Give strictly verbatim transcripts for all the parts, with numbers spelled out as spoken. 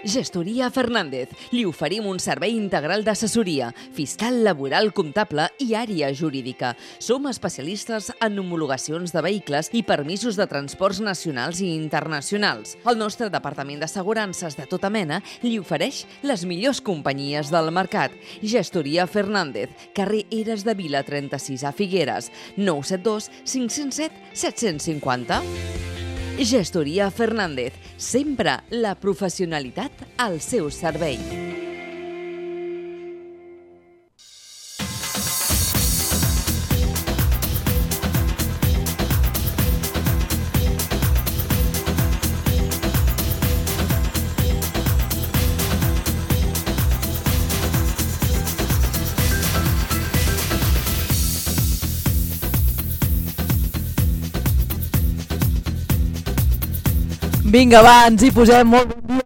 Gestoria Fernández. Li oferim un servei integral d'assessoria, fiscal, laboral, comptable i àrea jurídica. Som especialistes en homologacions de vehicles i permisos de transports nacionals i internacionals. El nostre departament d'assegurances de tota mena li ofereix les millors companyies del mercat. Gestoria Fernández, carrer Eres de Vila trenta-sis a Figueres, nou set dos cinc zero set set cinc zero. Gestoria Fernández, sempre la professionalitat al seu servei. Vinga, va, ens hi posem. Molt bon dia.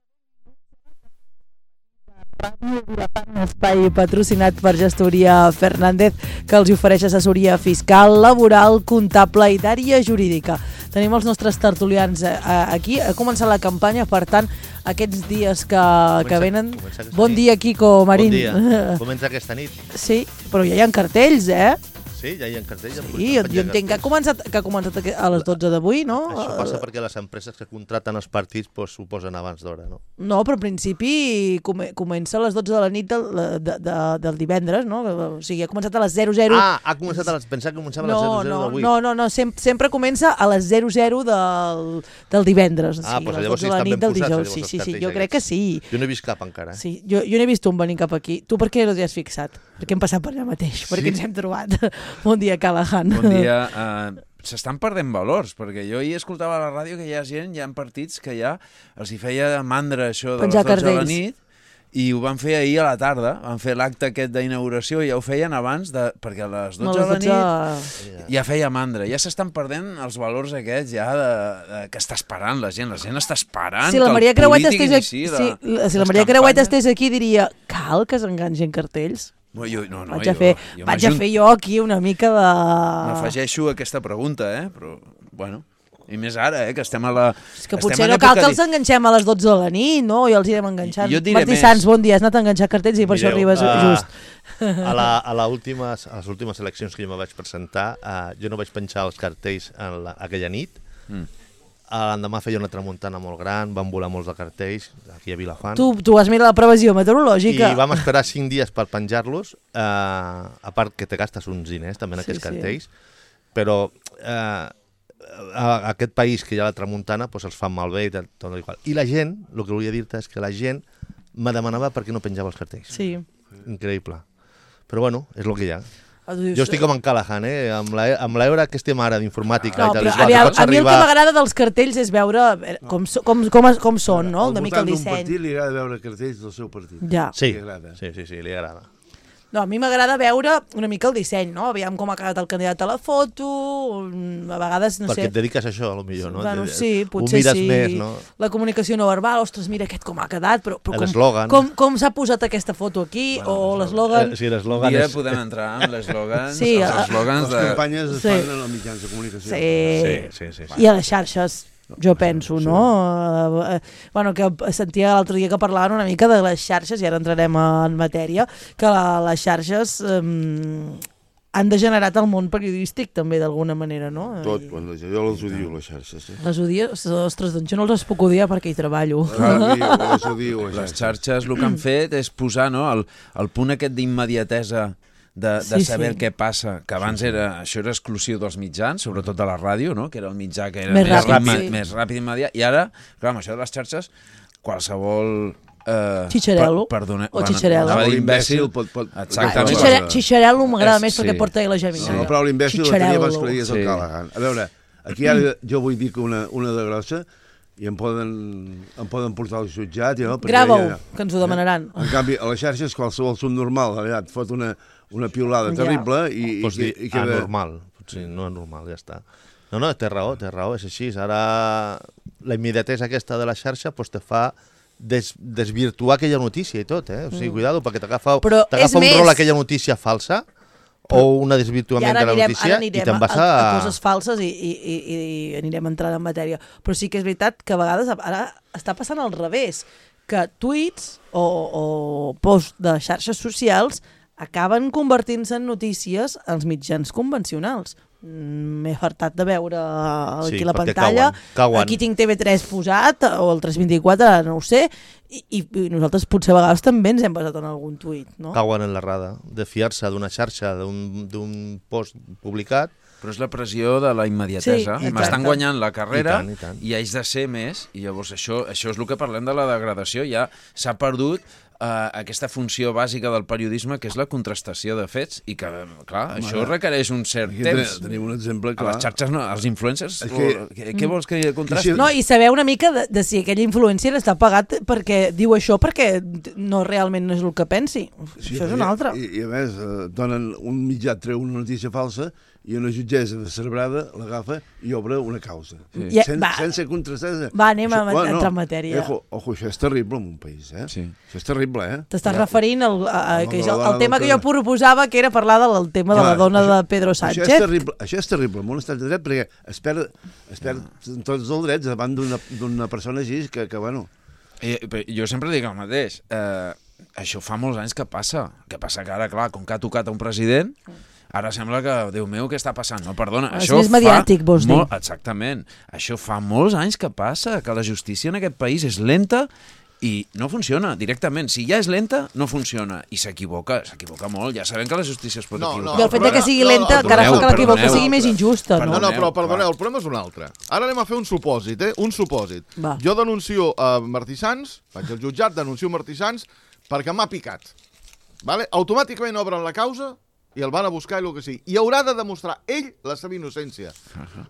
Ràdio Vilafant, espai patrocinat per Gestoria Fernández, que els ofereix assessoria fiscal, laboral, comptable i d'àrea jurídica. Tenim els nostres tertulians aquí. Ha començat la campanya, per tant, aquests dies que, comença, que venen... Bon dia, Quico Marín. Bon dia. Comença aquesta nit. Sí, però ja hi ha cartells, eh? Sí, ja hi ha cartells. Sí, jo, jo entenc que ha començat, que ha començat a les dotze d'avui, no? Això passa perquè les empreses que contraten els partits pues, ho posen abans d'hora, no? No, però al principi comença a les dotze de la nit del, de, de, del divendres, no? O sigui, ha començat a les zero zero... Ah, ha començat a les... Pensava que començava a les no, zero zero d'avui. No, no, no, sempre, sempre comença a les zero zero del, del divendres. Ah, doncs pues llavors sí estan ben posats. Sí, sí, sí, jo crec que sí. Jo no he vist cap encara. Sí, jo, jo n'he vist un venint cap aquí. Tu per què no t'hi has fixat? Perquè hem passat per allà mateix, perquè ens hem trobat. Bon dia, Callahan. Bon dia. Uh, S'estan perdent valors, perquè jo hi escoltava a la ràdio que hi ha gent, hi ha partits que ja els hi feia mandra això de penjar les dotze de la cartells. nit, i ho van fer ahir a la tarda, van fer l'acte aquest d'inauguració i ja ho feien abans, de, perquè a les dotze No, de la dotze... nit ja feia mandra. Ja s'estan perdent els valors aquests ja de, de, que està esperant la gent. La gent està esperant si la que Maria el Creuet polític estés iniciï aquí, la, sí, si la Maria Creuet estés aquí diria, cal que s'enganxin cartells? No, jo, no, no, vaig a jo, fer, jo vaig a fer jo aquí una mica de... M'afegeixo a aquesta pregunta, eh? Però, bueno... I més ara, eh, que estem a la... És que potser no cal que els enganxem a les dotze de la nit, no? I els irem enganxant. Martí més. Sans, bon dia, has anat a enganxar cartells i per Mireu, això arribes uh, just. A, la, a, la últimes, a les últimes eleccions que jo me vaig presentar, uh, jo no vaig penjar els cartells en la, aquella nit. Mm. L'endemà feia una tramuntana molt gran, van volar molts de cartells aquí a Vilafant. Tu, tu has mirat la previsió meteorològica. I vam esperar cinc dies per penjar-los, uh, a part que te gastes uns diners també en sí, aquests cartells, sí. Però... Uh, a aquest país que hi ha la tramuntana doncs els fan malbé i tot igual. I la gent, el que volia dir-te és que la gent me demanava per què no penjava els cartells. Sí. Increïble. Però bueno, és el que hi ha. Dius... Jo estic com en Callahan, eh? amb l'hora que estem ara d'informàtica. No, i tal, a, mi, a mi arribar... el que m'agrada dels cartells és veure com, com, com, com són, no? Una mica el disseny. Al partit li agrada veure cartells del seu partit. Ja. Sí, sí, sí, sí, li agrada. No, a mi m'agrada veure una mica el disseny, no? Aviam com ha quedat el candidat a la foto, a vegades, no Perquè sé... Perquè et dediques a això, potser, no? Bueno, sí, potser sí. Més, no? La comunicació no verbal, ostres, mira aquest com ha quedat, però, però com, com, com s'ha posat aquesta foto aquí, bueno, o l'eslògan... Eh, sí, l'eslògan és... és... podem entrar amb l'eslògan. Sí, els eslògans de... Les campanyes es sí. fan en els mitjans de comunicació. Sí, sí, sí, sí, sí. I a les xarxes... Jo penso, no? Sí. Uh, bueno, que sentia l'altre dia que parlaven una mica de les xarxes, i ara entrarem en matèria, que la, les xarxes um, han degenerat el món periodístic també d'alguna manera, no? Tot, quan la, jo les odio, les xarxes. Eh? Les odio? Ostres, doncs jo no les puc odiar perquè hi treballo. Ah, les odio, les, les xarxes el que han fet és posar, no, el, el punt aquest d'immediatesa de, de sí, saber sí. què passa, que abans era, això era exclusiu dels mitjans, sobretot de la ràdio, no? Que era el mitjà que era més, més ràpid, ràpid, sí. més ràpid i immediat, i ara, clar, amb això de les xarxes, qualsevol... Eh, Xitxarel·lo, per, perdone, o xitxarel·lo. Anava imbècil, pot, pot... exactament. Xitxarel·lo, xitxarel·lo m'agrada més sí. perquè porta la Gemina. No, però l'imbècil la tenia abans que la digués el Callahan. A veure, aquí ara jo vull dir que una, una de grossa i em poden, em poden portar al jutjat. No? Grava-ho, ja, que ens ho demanaran. Eh? En canvi, a les xarxes qualsevol subnormal et fot una, una piulada terrible ja. i, Pots i, dir i queda... anormal, potser no anormal, ja està. No, no, té raó, té raó, és així. Ara la immediatesa aquesta de la xarxa pues, te fa des, desvirtuar aquella notícia i tot, eh? O sigui, mm. cuidado, perquè t'agafa un més... rol aquella notícia falsa o un desvirtuament de la notícia i te'n vas a... a coses falses i, i, i, i anirem entrant en matèria. Però sí que és veritat que a vegades ara està passant al revés, que tuits o, o posts de xarxes socials acaben convertint-se en notícies als mitjans convencionals. M'he fartat de veure aquí Sí, la perquè pantalla, cauen, cauen. aquí tinc T V tres posat, o el tres vint-i-quatre, no ho sé, i, i nosaltres potser a vegades també ens hem basat en algun tuit, no? Cauen en l'errada de fiar-se d'una xarxa, d'un post publicat. Però és la pressió de la immediatesa. Sí, M'estan guanyant la carrera I tant, i tant. i haig de ser més, i llavors això, això és el que parlem de la degradació. Ja s'ha perdut eh, aquesta funció bàsica del periodisme, que és la contrastació de fets, i que, clar, Home, això requereix un cert Aquí temps. tenim un exemple A clar. les xarxes, no, als influencers, És que- o- què, què vols que contrasti? No, i saber una mica de, de si aquell influencer està pagat perquè diu això perquè no realment no és el que pensi. Sí, Això és una altra. I, i a més, eh, donen un mitjà, treu una notícia falsa i una jutgessa de Cerbrada l'agafa i obre una causa. Sí. Ja, Sen, va. sense contrastar. Va, anem a entrar en matèria. Ojo, ojo, això és terrible en un país, eh? Sí. Això és terrible, eh? T'estàs referint al, a, a, No, que no, és el, la el dona tema que del jo proposava, que era parlar del tema de la Clar, dona això- de Pedro Això és Sánchez. terrible, això és terrible, en un estat de dret, perquè es perd, es perd tots els drets davant d'una d'una persona així que, que bueno... I, però jo sempre dic el mateix. Eh, això fa molts anys que passa. Que passa que ara, clar, com que ha tocat a un president, ara sembla que, Déu meu, què està passant? No, perdona, És això més fa mediàtic, vols dir. molt, exactament. Això fa molts anys que passa, que la justícia en aquest país és lenta i no funciona directament. Si ja és lenta, no funciona. I s'equivoca, s'equivoca molt. Ja sabem que la justícia es pot No, equivocar. I el fet de que sigui No, no, lenta no, encara fa que perdoneu, l'equivoca perdoneu. sigui més injusta, no? No, no, però Perdoneu, perdoneu, clar. el problema és un altre. Ara anem a fer un supòsit, eh? Un supòsit. Va. Jo denuncio a Martí Sans, vaig al jutjat, denuncio Martí Sans perquè m'ha picat. Vale? Automàticament obren la causa i el van a buscar i el que sigui. I haurà de demostrar ell la seva innocència.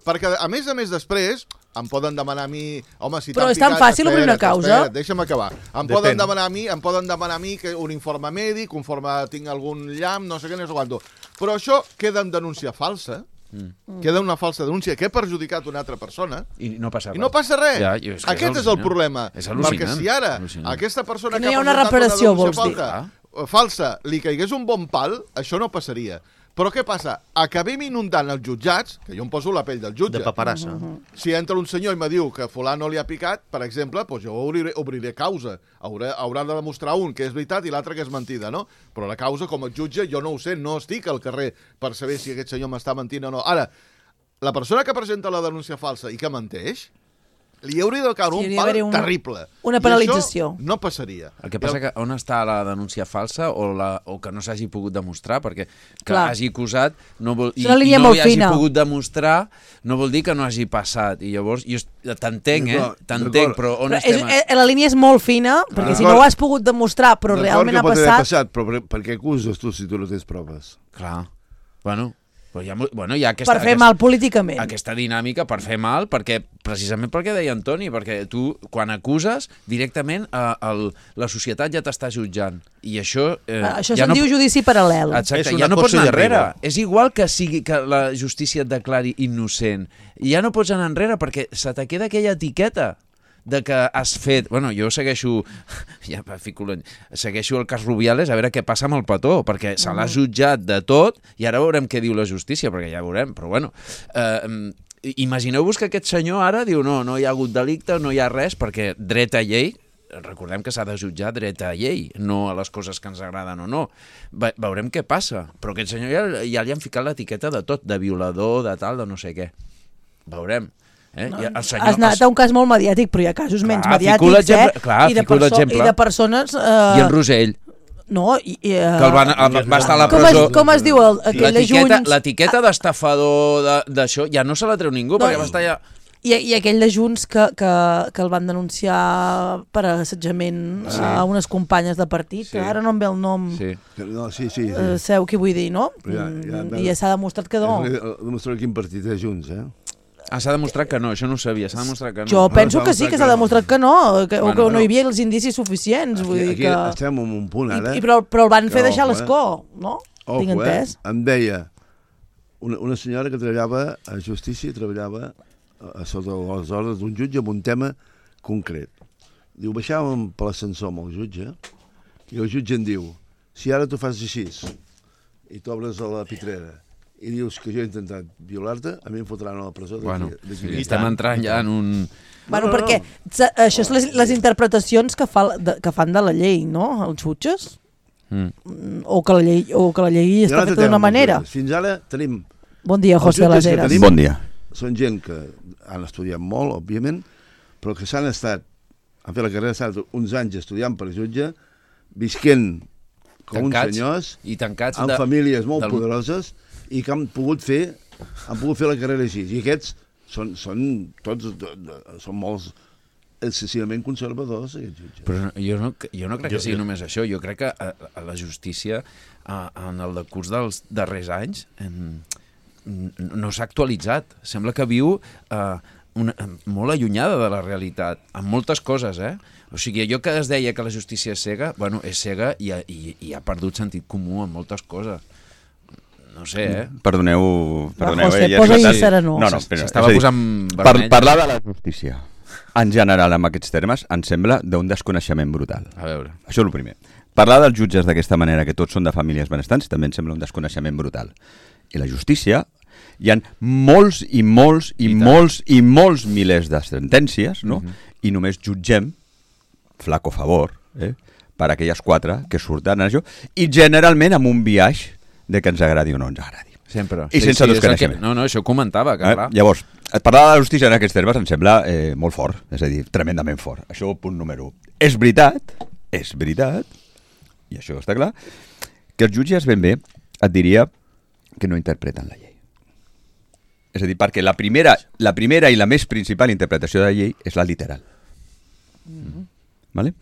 Perquè, a més a més, després em poden demanar a mi... Home, si Però t'han és tan picat, fàcil obrir una espera't, causa? espera't, deixa'm acabar. Em Depèn. poden demanar a mi, em poden demanar a mi que un informe mèdic, conforme tinc algun llamp, no sé què, no sé quanto. Però això queda en denúncia falsa. Mm. Queda una falsa denúncia que ha perjudicat una altra persona I no passa res. i no passa res. Ja, jo- és que Aquest és, al·lucinant. el problema. És al·lucinant. Perquè si ara Al·lucinant. aquesta persona Que no que hi ha ha una presentat reparació, denúncia vols dir. falta, falsa li caigués un bon pal, això no passaria. Però què passa? Acabem inundant els jutjats, que jo em poso la pell del jutge. De paperassa. Si entra un senyor i me diu que fulano li ha picat, per exemple, doncs jo obriré, obriré causa. Haurà, haurà de demostrar un que és veritat i l'altre que és mentida, no? Però la causa, com a jutge, jo no ho sé, no estic al carrer per saber si aquest senyor m'està mentint o no. Ara, la persona que presenta la denúncia falsa i que menteix, li hauria de caure Sí, un hauria pal d'haver un- terrible. una I penalització. això no passaria. El que passa que on està la denúncia falsa o, la, o que no s'hagi pogut demostrar, perquè que Clar. hagi acusat no vol, i, És una i línia no molt hi hagi fina. pogut demostrar no vol dir que no hagi passat. I llavors, jo est- t'entenc, eh? D'acord, T'entenc, d'acord. però on Però és, estem? eh, la línia és molt fina, perquè si no ho has pogut demostrar, però D'acord realment que ha pot haver passat... passat, però per, per què acuses tu si tu no tens proves? Clar. Bueno, però hi ha, mo- bueno, hi ha aquesta, Per fer aquesta, mal políticament. aquesta dinàmica per fer mal, perquè precisament perquè deia Antoni, perquè tu, quan acuses, directament eh, el, la societat ja t'està jutjant. I això... Eh, Ah, Això ja se'n no, diu judici paral·lel. Exacte, És una ja no pots cosa anar de enrere. rigor. És igual que sigui que la justícia et declari innocent. I ja no pots anar enrere perquè se te queda aquella etiqueta de que has fet... Bueno, jo segueixo... Ja, fico l'any. Segueixo el cas Rubiales a veure què passa amb el petó, perquè se l'ha jutjat de tot i ara veurem què diu la justícia, perquè ja veurem, però bueno... Eh, imagineu-vos que aquest senyor ara diu no, no hi ha hagut delicte, no hi ha res, perquè dret a llei, recordem que s'ha de jutjar dret a llei, no a les coses que ens agraden o no. Ve veurem què passa, però aquest senyor ja, ja li han ficat l'etiqueta de tot, de violador, de tal, de no sé què. Veurem. Eh? I el senyor, Has anat a un cas molt mediàtic, però hi ha casos menys Clar, fico mediàtics, l'exemple- eh? clar, I, de fico l'exemple. I de persones... Eh, I en Rosell, No, i... i eh, que el van, el, va estar a la com, presó... es, com es diu el, aquell de L'etiqueta Junts? l'etiqueta d'estafador de- d'això ja no se la treu ningú, No, perquè va estar ja... I, I aquell de Junts que, que, que el van denunciar per assetjament Sí. a unes companyes de partit, Sí. que ara no em ve el nom, Sí. Que no, sí, sí. sí. eh, sabeu què vull dir, no? Però ja- ja- Mm, I ja s'ha demostrat que no. Demostrar quin partit és Junts, eh? Ah, s'ha demostrat que no, això no ho sabia, s'ha demostrat que no. Jo penso s'ha que sí, que s'ha demostrat demostrat que no, que, o Bueno, que no però- hi havia els indicis suficients. Vull Aquí, dir aquí que... estem en un punt, ara. I, i, però, però el van fer Que deixar ojo, eh? l'escó, no? Ojo, Tinc entès. Eh? Em deia una, una senyora que treballava a justícia i treballava a, a sota les ordres d'un jutge amb un tema concret. Diu, baixàvem per l'ascensor amb el jutge i el jutge em diu, si ara tu fas així i t'obres a la pitrera i dius que jo he intentat violar-te, a mi em fotran a la presó d'aquí. Bueno, d'aquí. sí, estem entrant ja en un... Bueno, No, no, perquè no. això és les, les interpretacions que, fa, de, que fan de la llei, no? Els jutges? Mm. O, que la llei, o que la llei està feta d'una manera. Fins ara tenim... Bon dia, José jutges Las que Heras. tenim Bon dia. Són gent que han estudiat molt, òbviament, però que s'han estat, han fet la carrera, s'han estat uns anys estudiant per jutge, visquent com Tancats, uns senyors, i tancats amb de- famílies molt del- poderoses, i que han pogut fer, han pogut fer la carrera així. I aquests són, són tots, de, de, són molts excessivament conservadors, aquests jutges. Però no- jo no, jo no crec que Jo- sigui jo- només això. Jo crec que a, a la justícia, a, en el decurs dels darrers anys, en, no s'ha actualitzat. Sembla que viu eh, una, molt allunyada de la realitat, en moltes coses, eh? O sigui, allò que es deia que la justícia és cega, bueno, és cega i, ha- i, i ha perdut sentit comú en moltes coses. No sé, eh? Perdoneu... perdoneu José, eh, ja posa-hi esclatat. serenor. No, no, espera, S'estava és a dir, posant par vermell. parlar de la justícia en general amb aquests termes em sembla d'un desconeixement brutal. A veure. Això és el primer. Parlar dels jutges d'aquesta manera, que tots són de famílies benestants, també em sembla un desconeixement brutal. I la justícia, hi ha molts i molts i, I tant. molts i molts milers de sentències, no? Mhm. I només jutgem, flaco favor, eh? per aquelles quatre que surten en això, i generalment amb un biaix de que ens agradi o no ens agradi. Sempre. I sense és el que- desconeixement. No, no, això ho comentava, que Eh? clar. Llavors, parlar de la justícia en aquests termes em sembla eh, molt fort, és a dir, tremendament fort. Això, punt número un. És veritat, és veritat, i això està clar, que els jutges ben bé et diria que no interpreten la llei. És a dir, perquè la primera, la primera i la més principal interpretació de la llei és la literal. Mm-hmm. Vale?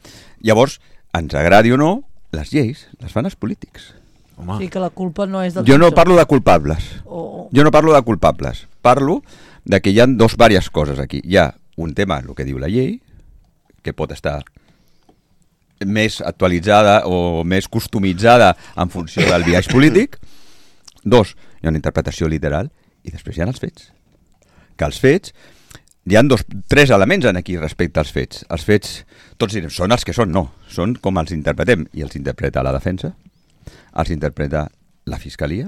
Llavors, ens agradi o no, les lleis les fan els polítics. Home, Sí, que la culpa no és del Jo no jutge. parlo de culpables. O... Jo no parlo de culpables. Parlo de que hi ha dos diverses coses aquí. Hi ha un tema, el que diu la llei, que pot estar més actualitzada o més customitzada en funció del biaix polític. Dos, hi ha una interpretació literal. I després hi ha els fets. Que els fets... Hi ha dos, tres elements en aquí respecte als fets. Els fets, tots direm, són els que són, no. Són com els interpretem. I els interpreta la defensa, els interpreta la fiscalia.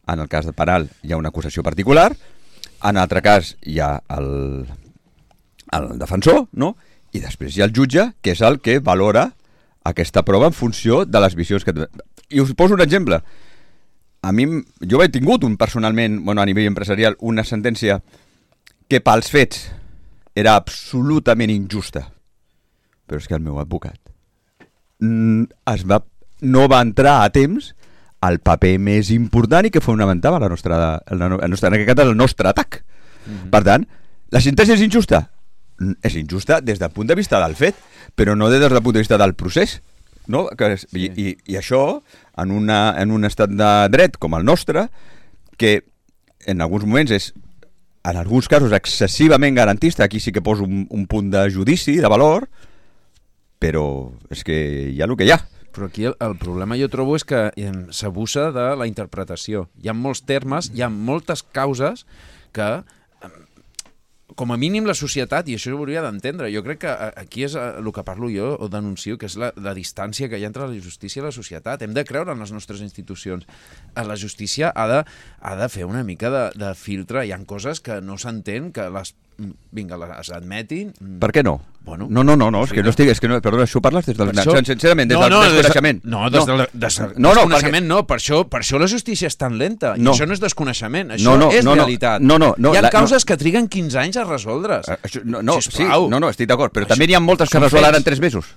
En el cas de penal hi ha una acusació particular. En l'altre cas hi ha el, el defensor, no? I després hi ha el jutge, que és el que valora aquesta prova en funció de les visions que... I us poso un exemple. A mi, jo he tingut un, personalment, bueno, a nivell empresarial, una sentència que pels fets era absolutament injusta. Però és que el meu advocat mm, es va, no va entrar a temps al paper més important i que fonamentava la nostra, la, la nostra, en aquest cas el nostre atac. Mm-hmm. Per tant, la sentència és injusta? Mm, És injusta des del punt de vista del fet, però no des del punt de vista del procés. No? Que és, sí. i, i, I això, en, una, en un estat de dret com el nostre, que en alguns moments és, en alguns casos, excessivament garantista, aquí sí que poso un, un punt de judici, de valor, però és que hi ha el que hi ha. Però aquí el, el problema jo trobo és que eh, s'abusa de la interpretació. Hi ha molts termes, hi ha moltes causes que, eh, com a mínim la societat, i això ho hauria d'entendre, jo crec que eh, aquí és eh, el que parlo jo o denuncio, que és la, la distància que hi ha entre la justícia i la societat. Hem de creure en les nostres institucions. Eh, La justícia ha de, ha de fer una mica de, de filtre. Hi ha coses que no s'entén, que les vinga, les admetin. Per què no? Bueno, no, no, no, no, és que no estic, és que no, perdona, això parles des del, Per això- sincerament, des No, del no, des de- desconeixement. No, des del des, no, no, desconeixement no, per això, per això la justícia és tan lenta. I No. això no és desconeixement, això No, no, és no, no, realitat. no, no, no, Hi ha la- causes que triguen quinze anys a resoldre's. Eh, Això, no, no, sí, Sisplau. no, no, estic d'acord, però Això- també n'hi ha moltes que són resolen fets. en tres mesos.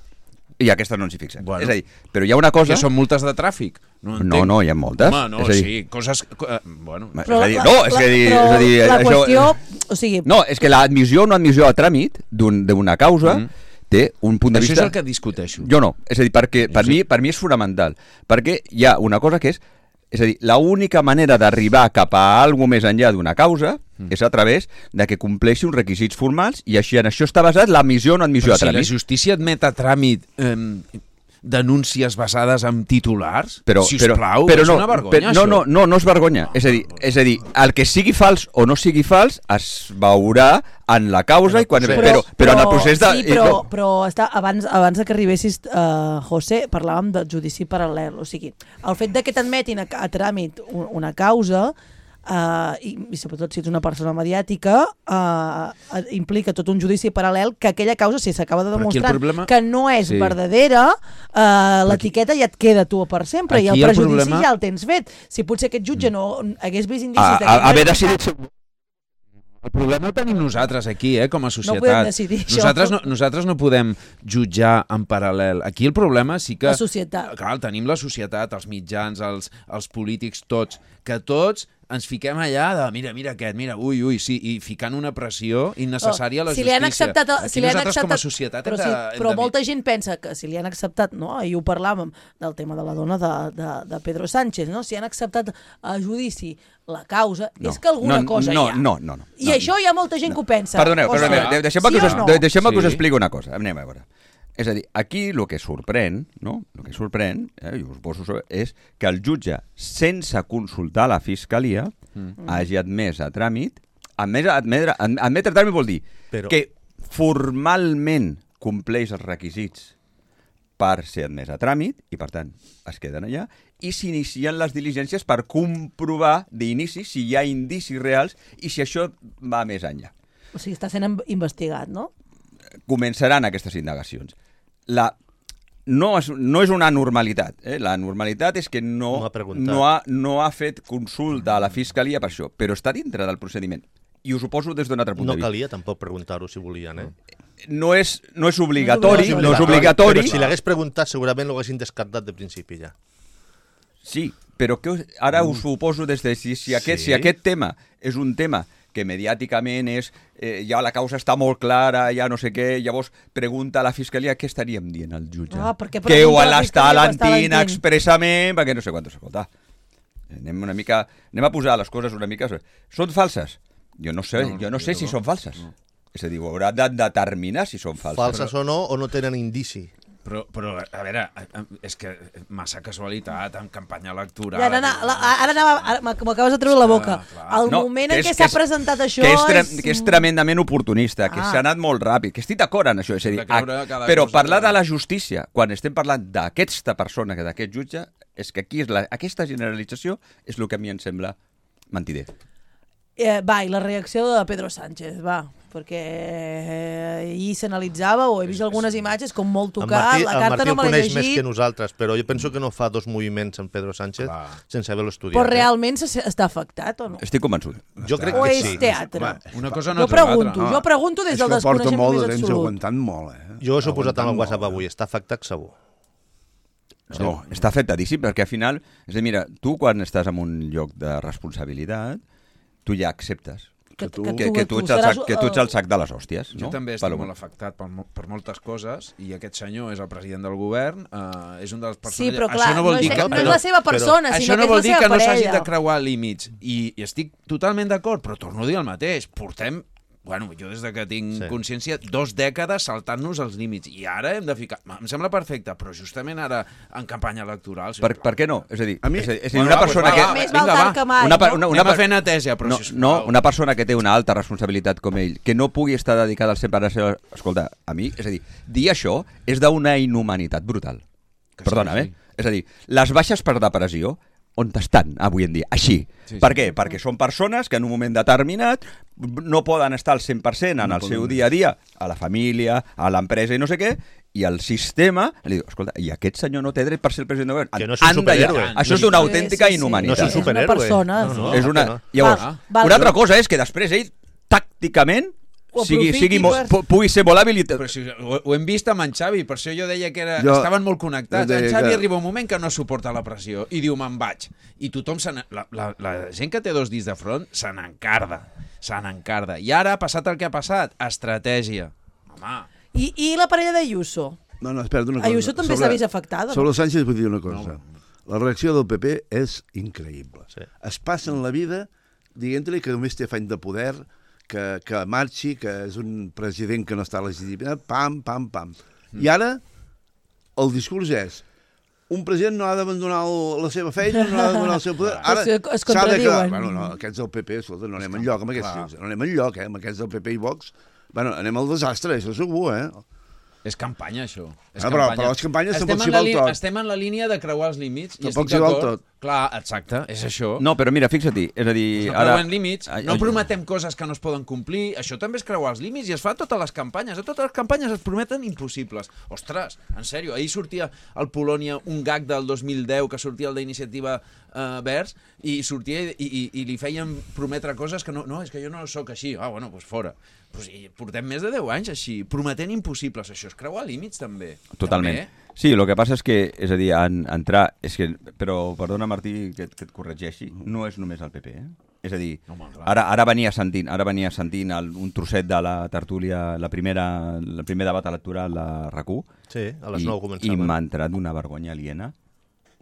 I aquestes no ens hi fixem. Bueno. És a dir, però hi ha una cosa... Que són multes de tràfic. No, No, entenc. no, hi ha moltes. Home, no, És a dir- sí, coses... Eh, bueno, És Però a dir, la- no, és la- a dir, però és a dir, la això- qüestió... O sigui, No, és que l'admissió o no admissió a tràmit d'un- d'una causa Mhm. té un punt de això vista... és el que discuteixo. Jo no, és a dir, perquè per, sí. mi, per mi és fonamental, perquè hi ha una cosa que és, és a dir, l'única manera d'arribar cap a alguna més enllà d'una causa mm. és a través de que compleixi uns requisits formals i així en això està basat l'admissió o no admissió Però a si la tràmit. justícia admet a tràmit eh, denúncies basades en titulars, Però, sisplau, però, però és no, una vergonya, però, no, això. no, no, no és vergonya. És a dir, és a dir, el que sigui fals o no sigui fals es veurà en la causa, i quan, procés. però, però, però en el procés de... Sí, però, però està, abans, abans de que arribessis, uh, José, parlàvem del judici paral·lel. O sigui, el fet de que t'admetin a, a tràmit un- una causa Uh, i, i sobretot si ets una persona mediàtica, uh, implica tot un judici paral·lel que aquella causa, si s'acaba de demostrar problema... que no és sí. verdadera, uh, l'etiqueta ja et queda tu per sempre aquí i el prejudici el problema... ja el tens fet. Si potser aquest jutge no hagués vist indicis... A, a, haver decidit... El problema el tenim nosaltres aquí, eh, com a societat. No podem decidir nosaltres no, nosaltres no podem jutjar en paral·lel. Aquí el problema sí que... La societat. Clar, tenim la societat, els mitjans, els, els polítics, tots, que tots ens fiquem allà de mira, mira aquest, mira, ui, ui, sí, i ficant una pressió innecessària a la si justícia. Li han acceptat, aquí si li han nosaltres acceptat, com a societat però, hem sí, de... Hem però de... molta gent pensa que si li han acceptat, no? Ahir ho parlàvem del tema de la dona de, de, de Pedro Sánchez, no? Si han acceptat a judici la causa, no, és que alguna no, cosa no, hi ha. No, no, no. I no, això hi ha molta gent no. que ho pensa. Perdoneu, perdoneu, de, deixem-me sí que, us, no? de, deixem sí. que us expliqui una cosa. Anem a veure. És a dir, aquí el que sorprèn, no? El que sorprèn, eh, i us poso, és que el jutge, sense consultar la fiscalia, mm. hagi admès a tràmit, admès, admetre, admetre a tràmit vol dir Però... que formalment compleix els requisits per ser admès a tràmit, i per tant es queden allà, i s'inicien les diligències per comprovar d'inici si hi ha indicis reals i si això va més enllà. O sigui, està sent investigat, no? Començaran aquestes indagacions. La, no, és, no és una normalitat. Eh? La normalitat és que no, no, ha no, ha, no ha fet consulta a la fiscalia per això, però està dintre del procediment. I us ho poso des d'un altre punt no de vista. No calia tampoc preguntar-ho si volien, eh? No és, no és obligatori, no és obligatori. No és obligatori. Però si l'hagués preguntat segurament l'haguessin descartat de principi ja. Sí, però que ara us ho poso des de si, si, aquest, sí. si aquest tema és un tema que mediàticament és, eh, ja la causa està molt clara, ja no sé què, llavors pregunta a la fiscalia què estaríem dient al jutge. Ah, que ho l'està alentint expressament, perquè no sé quantos, escolta. Anem una mica, anem a posar les coses una mica... Són falses? Jo no sé, no, jo no sé no, si no. són falses. No. És a dir, ho haurà de determinar si són falses. Falses però... o no, o no tenen indici. Però, però, a veure, és que massa casualitat en campanya electoral. Ja, ara, ara, ara, ara m'acabes de treure la boca. Ah, el no, moment en què s'ha presentat això... Que és, tre és... que és tremendament oportunista, que ah. s'ha anat molt ràpid, que estic d'acord en això. És a dir, a, però parlar de la justícia, quan estem parlant d'aquesta persona, d'aquest jutge, és que aquí és la, aquesta generalització és el que a mi em sembla mentider. Eh, va, i la reacció de Pedro Sánchez, va, perquè eh, ahir s'analitzava o he vist algunes imatges com molt tocat, Martí, la carta no me l'he llegit. El Martí el coneix més que nosaltres, però jo penso que no fa dos moviments en Pedro Sánchez Clar. sense haver-lo estudiat. Però realment eh? està afectat o no? Estic convençut. Jo crec o que és sí. teatre? Va, una cosa no jo pregunto, no. jo pregunto des del desconeixement molt més de temps absolut. aguantant molt, eh? Jo us he posat en el WhatsApp molt, avui, està afectat segur. No, no, està afectadíssim, perquè al final, és a dir, mira, tu quan estàs en un lloc de responsabilitat, tu ja acceptes que tu, que, que, tu, ets el sac, que tu ets el sac de les hòsties. Jo no? també estic Paloma. molt afectat per, per moltes coses i aquest senyor és el president del govern, eh, és un dels persones... Sí, però clar, això no, vol no, dir és, que, no és la seva persona, però, sinó això no que vol és la dir seva que no s'hagi parella. de creuar límits i, i estic totalment d'acord, però torno a dir el mateix. Portem, bueno, jo des de que tinc sí. consciència, dos dècades saltant-nos els límits i ara hem de ficar... Em sembla perfecte, però justament ara en campanya electoral... Per, per què no? És a dir, a mi, és a dir, és a dir una persona va, que... Va, més val tard que mai, una, no? una, una, Anem a fer neteja, però... No, Si no, una persona que té una alta responsabilitat com ell, que no pugui estar dedicada al cent per cent... Escolta, a mi, és a dir, dir això és d'una inhumanitat brutal. Que Perdona, sí, sí. eh? És a dir, les baixes per depressió on estan avui en dia, així. Sí, per sí, què? Sí. Perquè són persones que en un moment determinat no poden estar al cent per cent en no el seu dia a dia, a la família, a l'empresa i no sé què, i el sistema li diu, escolta, i aquest senyor no té dret per ser el president del govern. Que no és un superhéroe. Això és d'una autèntica sí, sí, inhumanitat. No és un superhéroe. És una persona. No, no, és una... no. Llavors, val, val, una altra cosa és que després ell, tàcticament, sigui, sigui per... pugui ser molt hàbil. Però si, ho, ho hem vist amb en Xavi, per això jo deia que era, jo, estaven molt connectats. En Xavi que... arriba un moment que no suporta la pressió i diu, me'n vaig. I tothom, se la, la, la gent que té dos dits de front, se n'encarda. Se n'encarda. I ara ha passat el que ha passat. Estratègia. Home. I, i la parella d'Ayuso? No, no, espera't una cosa. Ayuso també s'ha vist afectada. Sobre no? Sánchez vull dir una cosa. No. La reacció del P P és increïble. Sí. Es passen la vida dient-li que només té afany de poder, que, que marxi, que és un president que no està legitimat, pam, pam, pam. Mm. I ara el discurs és un president no ha d'abandonar la seva feina, no ha d'abandonar el seu poder. Ara es contradiuen. Bueno, no, aquests del P P, escolta, no anem enlloc amb aquests tios, no anem enlloc, eh, amb aquests del P P i Vox. Bueno, anem al desastre, això segur, eh? És campanya, això. És ah, però, campanya. però les campanyes estem tampoc s'hi val tot. Estem en la línia de creuar els límits. Tampoc s'hi val tot. Clar, exacte, és això. No, però mira, fixa-t'hi, és a dir... No ara... creuen límits, no prometem coses que no es poden complir, això també és creuar els límits i es fa a totes les campanyes, a totes les campanyes es prometen impossibles. Ostres, en sèrio, ahir sortia al Polònia un gag del dos mil deu que sortia el d'Iniciativa eh, Verds i sortia i, i, i li feien prometre coses que no, no, és que jo no sóc així, ah, bueno, doncs fora. Pues, i portem més de deu anys així, prometent impossibles, això és creuar límits també. Totalment. També. Sí, el que passa és que, és a dir, en, entrar... És que, però, perdona, Martí, que, que et corregeixi, no és només el P P, eh? És a dir, no, ara, ara venia sentint, ara venia sentint el, un trosset de la tertúlia, la primera, el primer debat electoral de RAC u. Sí, a les nou començava. I m'ha entrat una vergonya aliena,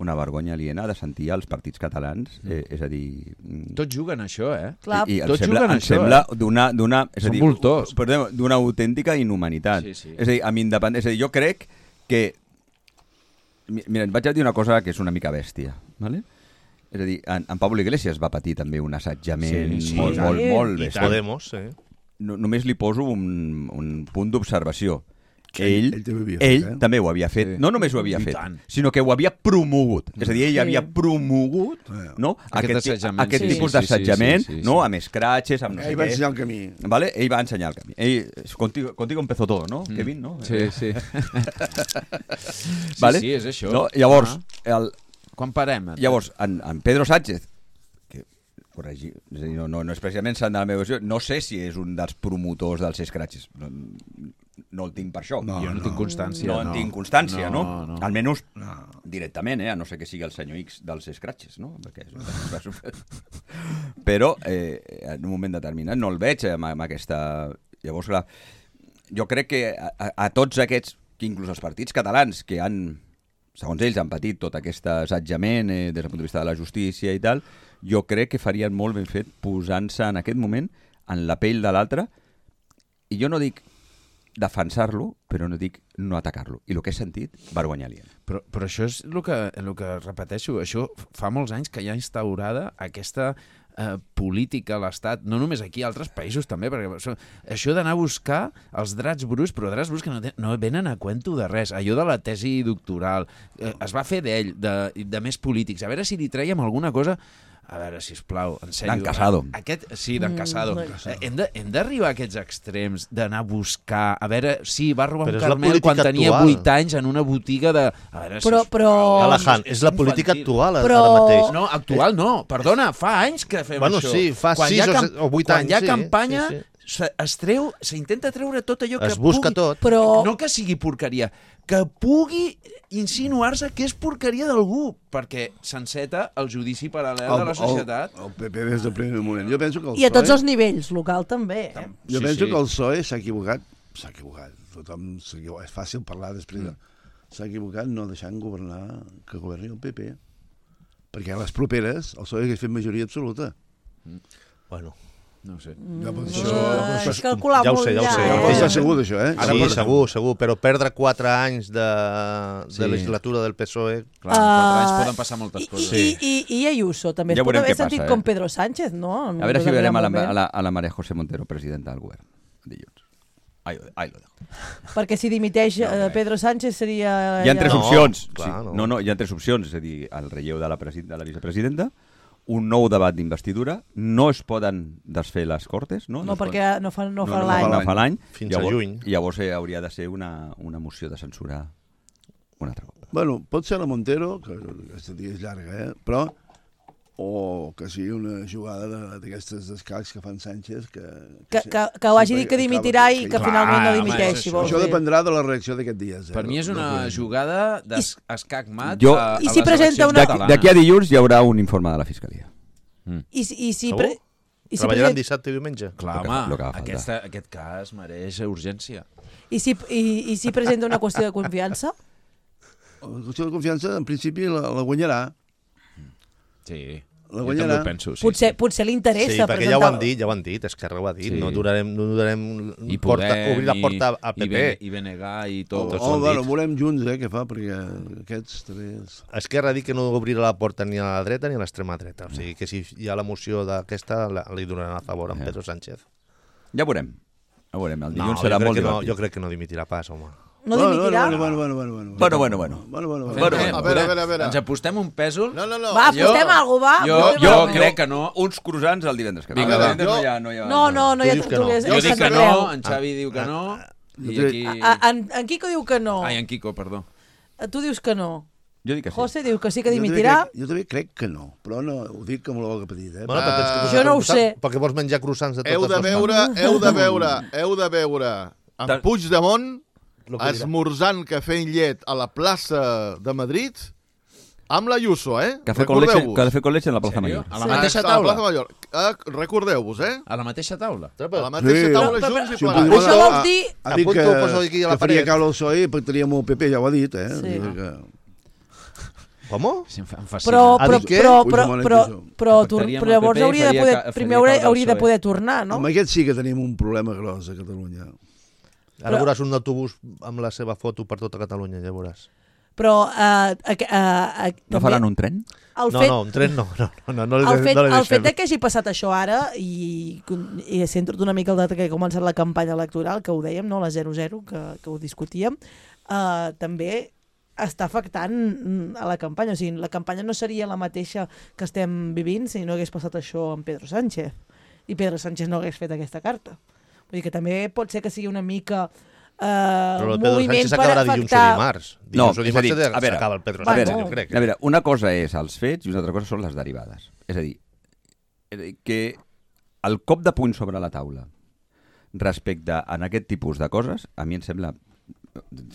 una vergonya aliena de sentir els partits catalans, eh, és a dir... Tots juguen això, eh? Clar. I, i Tots sembla, juguen em això, sembla eh? d'una... d'una és a Són dir, voltors. perdó, d'una autèntica inhumanitat. Sí, sí. És a dir, amb independència... És a dir, jo crec que... Mira, et vaig a dir una cosa que és una mica bèstia, ¿vale? És a dir, en, en Pablo Iglesias va patir també un assetjament Sí, sí. molt, molt, Sí. molt I bèstia. Podemos, sí. No, només li poso un, un punt d'observació. Ell, ell també ho havia ell fet, eh? també ho havia fet. Sí. No només ho havia I fet, tant. sinó que ho havia promogut. És a dir, ell Sí. havia promogut no? Aquest aquest, ti- assetjament, aquest sí. tipus Sí, sí, sí, d'assetjament, sí, sí, sí. no? Amb escratxes, amb no Ell sé va què. ensenyar el camí. ¿Vale? Ell va ensenyar el camí. Ell, contigo, contigo empezó todo, ¿no, Mm. Kevin? No? Sí, sí. Vale? Sí, sí, és això. No? Llavors, Ah. el, Quan parem? llavors en, en Pedro Sánchez, que corregi, és a dir, no, no, no és precisament sant de la meva visió, no sé si és un dels promotors dels escratxes. No, no el tinc per això. No, Jo no, tinc constància. no en tinc constància, no? No, no. Almenys No. directament, eh? A no sé que sigui el senyor X dels scratches, no? Perquè és... Però eh, en un moment determinat no el veig amb, amb aquesta... Llavors, clar, jo crec que a, a, a tots aquests, que inclús els partits catalans que han, segons ells, han patit tot aquest assetjament eh, des del punt de vista de la justícia i tal, jo crec que farien molt ben fet posant-se en aquest moment en la pell de l'altre, i jo no dic defensar-lo, però no dic no atacar-lo. I el que he sentit, vergonya aliena. Però, però això és el que, el que repeteixo, això fa molts anys que hi ha instaurada aquesta eh, política a l'Estat, no només aquí, a altres països també, perquè això, això d'anar a buscar els drets bruts, però drets bruts que no, ten, no venen a cuento de res. Allò de la tesi doctoral, eh, es va fer d'ell, de, de més polítics, a veure si li trèiem alguna cosa. A veure, sisplau, en sèrio. D'en Casado. Aquest, sí, d'en Casado. Mm, Eh, hem de- hem d'arribar a aquests extrems d'anar a buscar... A veure, sí, va robar Però un és la Carmel quan política tenia actual. vuit anys en una botiga de... A veure, Però- sisplau, però- Callahan, és la política infantil. actual Però- ara mateix. No, actual no. Perdona, fa anys que fem Bueno, això. sí, fa Quan sis hi ha o cam- set- o vuit quan anys, hi ha sí, campanya, sí, se- es treu, s'intenta treure tot allò que Es busca pugui... tot. Però- No que sigui porqueria, que pugui insinuar-se que és porqueria d'algú, perquè s'enceta el judici paral·lel de la societat. El, el P P des del primer moment. Jo penso que el I a tots PSOE els nivells, local també. Eh? Jo Sí, penso sí. que el P S O E s'ha equivocat. S'ha equivocat. Tothom s'equivoca. És fàcil parlar després. De... S'ha equivocat no deixant governar, que governi el P P. Perquè a les properes el P S O E hagués fet majoria absoluta. Bueno, No ho sé. Ja pot ser. No, Ja és calcular ja ho molt sé, ja ho sé, ja, ja ho pot sé. eh? estar segur d'això, eh? sí, per- segur, segur, però perdre quatre anys de, de Sí. legislatura del P S O E... Clar, en quatre anys Ah, poden passar moltes I, coses. i, i, I Ayuso també Ja es pot veurem haver què passa, sentit eh? com Pedro Sánchez, no? En A veure un si veurem a la, determinat a, moment. la, a la María José Montero, presidenta del govern, dilluns. Ahí, ahí lo dejo. Perquè si dimiteix eh, Pedro Sánchez seria... Hi ha tres ja- No, opcions. clar, sí. no. no, no, hi ha tres opcions. És a dir, el relleu de la, presi de la vicepresidenta, un nou debat d'investidura, no es poden desfer les cortes, no? No, es perquè no fa, no poden- fa no, l'any. no fa l'any. Fins a llavors, juny. Llavors eh, hauria de ser una, una moció de censura un altre cop. Bueno, pot ser la Montero, que aquesta tia és llarga, eh? Però o que sigui una jugada de- d'aquestes d'escacs que fan Sánchez que, Que, que, que ho hagi dit que dimitirà i que Clar, finalment no home, dimiteixi. això- vols això dir. dependrà de la reacció d'aquests dies. Eh? Per mi és No una podem- jugada d'escac mat Jo- a, a I si les presenta eleccions una- catalanes. D'aquí a dilluns hi haurà un informe de la Fiscalia. I, si- i si... Segur? Pre... I si, Treballaran present... dissabte i diumenge? Clar, Lo que- home, lo que va faltar. aquesta, aquest cas mereix urgència. I, si, i, I si presenta una qüestió de confiança? La qüestió de confiança, en principi, la, la guanyarà. Sí, La jo guanyarà. també ho penso. Sí, potser, sí. potser li interessa Sí, perquè presentar... ja ho han dit, ja ho han dit, Esquerra ho ha dit, Sí. no durarem, no durarem I porta, Podem, obrir la porta i, al P i, P. Bene- i Benegar i tot. Oh, Tots oh, ho han bueno, dit. veurem junts, eh, què fa, perquè aquests també... És... Esquerra ha dit que no obrirà la porta ni a la dreta ni a l'extrema dreta, o sigui que si hi ha la moció d'aquesta la- li donaran a favor amb Ja. Pedro Sánchez. Ja veurem. Ja veurem. El No, dilluns jo serà crec, molt que no, divertit. jo crec que no dimitirà pas, home. No dimitirà? Bueno, bueno, bueno, bueno, bueno. Bueno, bueno, bueno. Bueno, bueno, bueno. Bueno, Eh, a veure, a veure, a veure. Ens apostem un pèsol? No, no, no. Va, Jo- apostem alguna cosa, va. Jo, apostem jo alguna cosa. crec que no. Uns croissants el divendres que ve. Vinga, El va. divendres no Jo- hi ha... No, hi ha... No, no, no hi ha Tu dius que no. tertúlies. Jo és dic que Sant no, Andreu. en Xavi diu que no, i Jo aquí... A- a- En, en Quico diu que no. Ai, en Quico, perdó. Tu dius que no. Jo dic que sí. José diu que sí que Jo també dimitirà. crec- Jo també crec que no, però no, ho dic amb la boca petita. Eh? Bueno, però tens que Jo no ho posar- sé. Perquè vols menjar croissants de totes Heu de les veure, heu de veure, heu de veure en Tal- Puigdemont Lo que dirà. esmorzant cafè i llet a la plaça de Madrid amb la Ayuso, eh? Café con leche, Recordeu-vos. café con leche en la Plaza Sèrio? Mayor. A la Ah, mateixa a la taula? plaça Major. Eh, Recordeu-vos, eh? A la mateixa taula? A la mateixa Sí. taula, Però- junts i Si ho plegats. Puigdemont Això ha- vols dir- Ha dit Apunto, que, poso aquí a la que faria paret. caure el P S O E i pactaria amb el P P, ja ho ha dit, eh? Sí. Vull dir que... Com? Sí, em fa- em fascina. Però, Ha però, dit què? però, però, Puigdemont però, ha dit això. però, Que tor- pactaria amb però el llavors P P i hauria de faria poder, ca- primer faria hauria, caure el hauria de P S O E. poder tornar, no? Amb aquest sí que tenim un problema gros a Catalunya. Ara veuràs un autobús amb la seva foto per tota Catalunya, ja veuràs. Però eh, eh, eh, No també faran un tren? el No, fet, no, un tren no, no, no, no, no, el li- fet, no li el deixem. fet de que hagi passat això ara i, i sento una mica el data que ha començat la campanya electoral, que ho dèiem, no? La zero zero, que, que ho discutíem, eh, també està afectant mm, a la campanya. O sigui, la campanya no seria la mateixa que estem vivint si no hagués passat això amb Pedro Sánchez i Pedro Sánchez no hagués fet aquesta carta. Vull dir que també pot ser que sigui una mica eh, Però el un Pedro moviment Sánchez per acabarà dilluns o afectar... dimarts. No, Dilluns o és a dimarts dir, a veure, s'acaba el Pedro va, Sánchez, no. jo crec. A veure, una cosa és els fets i una altra cosa són les derivades. És a dir, eh, que el cop de puny sobre la taula respecte a aquest tipus de coses, a mi em sembla,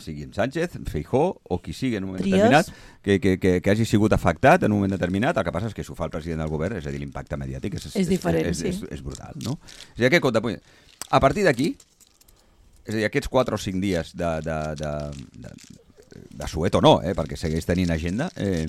sigui en Sánchez, Feijóo o qui sigui en un moment Trias. determinat, que, que, que, que hagi sigut afectat en un moment determinat. El que passa és que si ho fa el president del govern, és a dir, l'impacte mediàtic és, És diferent, és, sí. és, és brutal, no? És a dir, aquest cop de puny... A partir d'aquí, és a dir, aquests quatre o cinc dies de, de, de, de, de suet o no, eh, perquè segueix tenint agenda, eh,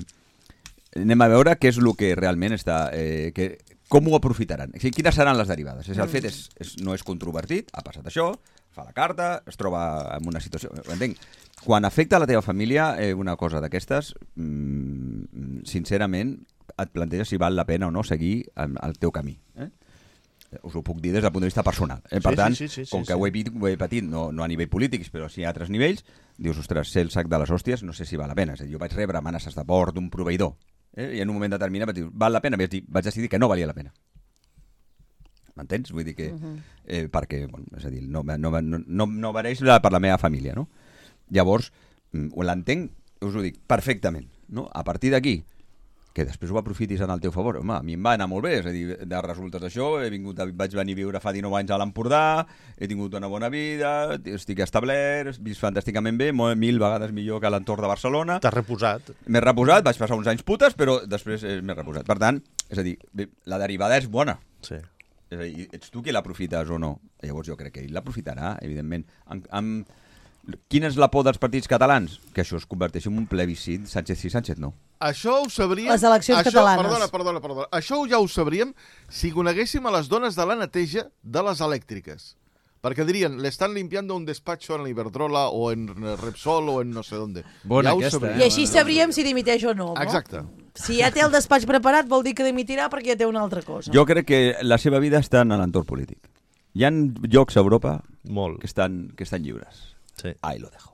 anem a veure què és el que realment està... Eh, que, com ho aprofitaran? O sigui, quines seran les derivades? És, el fet és, és, no és controvertit, ha passat això, fa la carta, es troba en una situació... Ho entenc. Quan afecta la teva família, eh, una cosa d'aquestes, mmm, sincerament, et planteges si val la pena o no seguir el, el teu camí. Eh? Us ho puc dir des del punt de vista personal. Eh? Per Sí, tant, sí, sí, sí, com sí, que sí. ho he, vit- ho he patit, no, no a nivell polític, però sí a altres nivells, dius, ostres, ser el sac de les hòsties, no sé si val la pena. És a dir, jo vaig rebre amenaces de mort d'un proveïdor, eh? I en un moment determinat vaig dir, val la pena? Vaig, dir, vaig decidir que no valia la pena. M'entens? Vull dir que... Eh, perquè, bueno, és a dir, no, no, no, no, no mereix la, per la meva família, no? Llavors, mm, ho l'entenc, us ho dic, perfectament, no? A partir d'aquí, que després ho aprofitis en el teu favor. Home, a mi em va anar molt bé, és a dir, de resultes d'això, he vingut, a, vaig venir a viure fa dinou anys a l'Empordà, he tingut una bona vida, estic establert, he vist fantàsticament bé, molt, mil vegades millor que a l'entorn de Barcelona. T'has reposat. M'he reposat, vaig passar uns anys putes, però després eh, m'he reposat. Per tant, és a dir, bé, la derivada és bona. Sí. És a dir, ets tu qui l'aprofites o no? Llavors jo crec que ell l'aprofitarà, evidentment. Amb, amb... Quina és la por dels partits catalans? Que això es converteixi en un plebiscit Sánchez sí, Sánchez no. Això ho sabríem... Les eleccions això, catalanes. Perdona, perdona, perdona. Això ja ho sabríem si coneguéssim a les dones de la neteja de les elèctriques. Perquè dirien, le están limpiando un despacho en Iberdrola o en Repsol o en no sé dónde. Bona ja ho aquesta, sabríem. I així sabríem si dimiteix o no, no? Exacte. Si ja té el despatx preparat vol dir que dimitirà perquè ja té una altra cosa. Jo crec que la seva vida està en l'entorn polític. Hi ha llocs a Europa Molt. que estan, que estan lliures. Sí. Ahí lo dejo.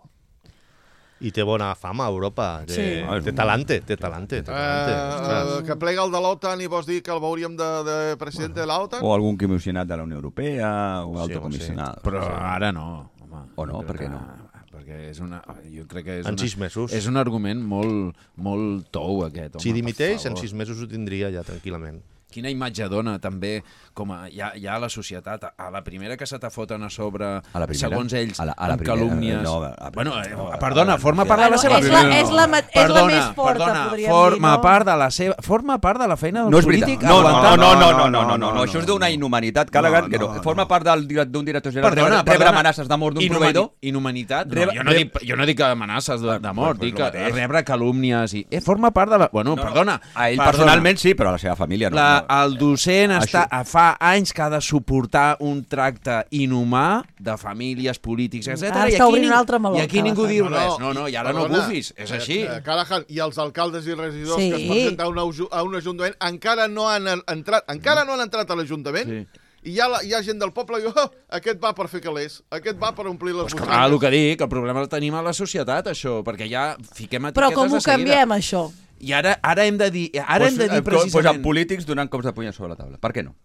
I té bona fama a Europa. Té, Sí. té talante, té talante. Té talante. Eh, Ostres. que plega el de l'OTAN i vols dir que el veuríem de, de president de l'OTAN? O algun comissionat de la Unió Europea, o Sí, altre home, comissionat. Però ara no, home. O no, Jo per crec què que- no? Perquè és una... Jo crec que és En una, sis mesos. És un argument molt, molt tou, aquest, home. Si dimiteix, per en favor. sis mesos ho tindria ja tranquil·lament. Quina imatge dona també com a, ja, ja a la societat, a la primera que se t'afoten a sobre, A la primera? segons ells, A la- a la amb primera, calúmnies... no, a la bueno, primera, eh, no, a la- perdona, a la- forma part de la Bueno, seva... és la- No. és la ma- és la Perdona, més forta, perdona, podríem forma dir, no? part de la seva... Forma part de la feina del No és polític. veritat. No, no, no, aguantar- no, no, no, no, no, no, no, no, això és d'una inhumanitat, Callaghan, que no, forma part del dir- d'un director general Perdona, rebre, rebre perdona. amenaces de mort d'un Inhumani- proveïdor. Inhumanitat? No, Rebe- jo, no rebe- dic, jo no dic amenaces de, de mort, Pues dic lo que mateix. rebre calúmnies i... Eh, forma part de la... Bueno, No, no, perdona. A ell perdona. personalment sí, però a la seva família no. La, no. el docent Això- està, fa anys que ha de suportar un tracte inhumà de famílies, polítics, etcètera. Ara I està aquí, obrint ning- un altre meló, I aquí ningú Callaghan. diu res. No, no, i ara no perdona, bufis. És eh, així. eh, Callaghan i els alcaldes i regidors Sí. que es presenten a un, aju- a un ajuntament encara no han en- entrat encara no han entrat a l'Ajuntament Sí. i hi ha, la, hi ha gent del poble que diu, oh, aquest va per fer calés, aquest va per omplir les Pues butxaques. clar, el que dic, el problema el tenim a la societat, això, perquè ja fiquem etiquetes Però com ho de seguida. canviem, això? I ara, ara hem de dir, ara hem de dir Pues precisament... amb polítics donant cops de puny sobre la taula. Per què no?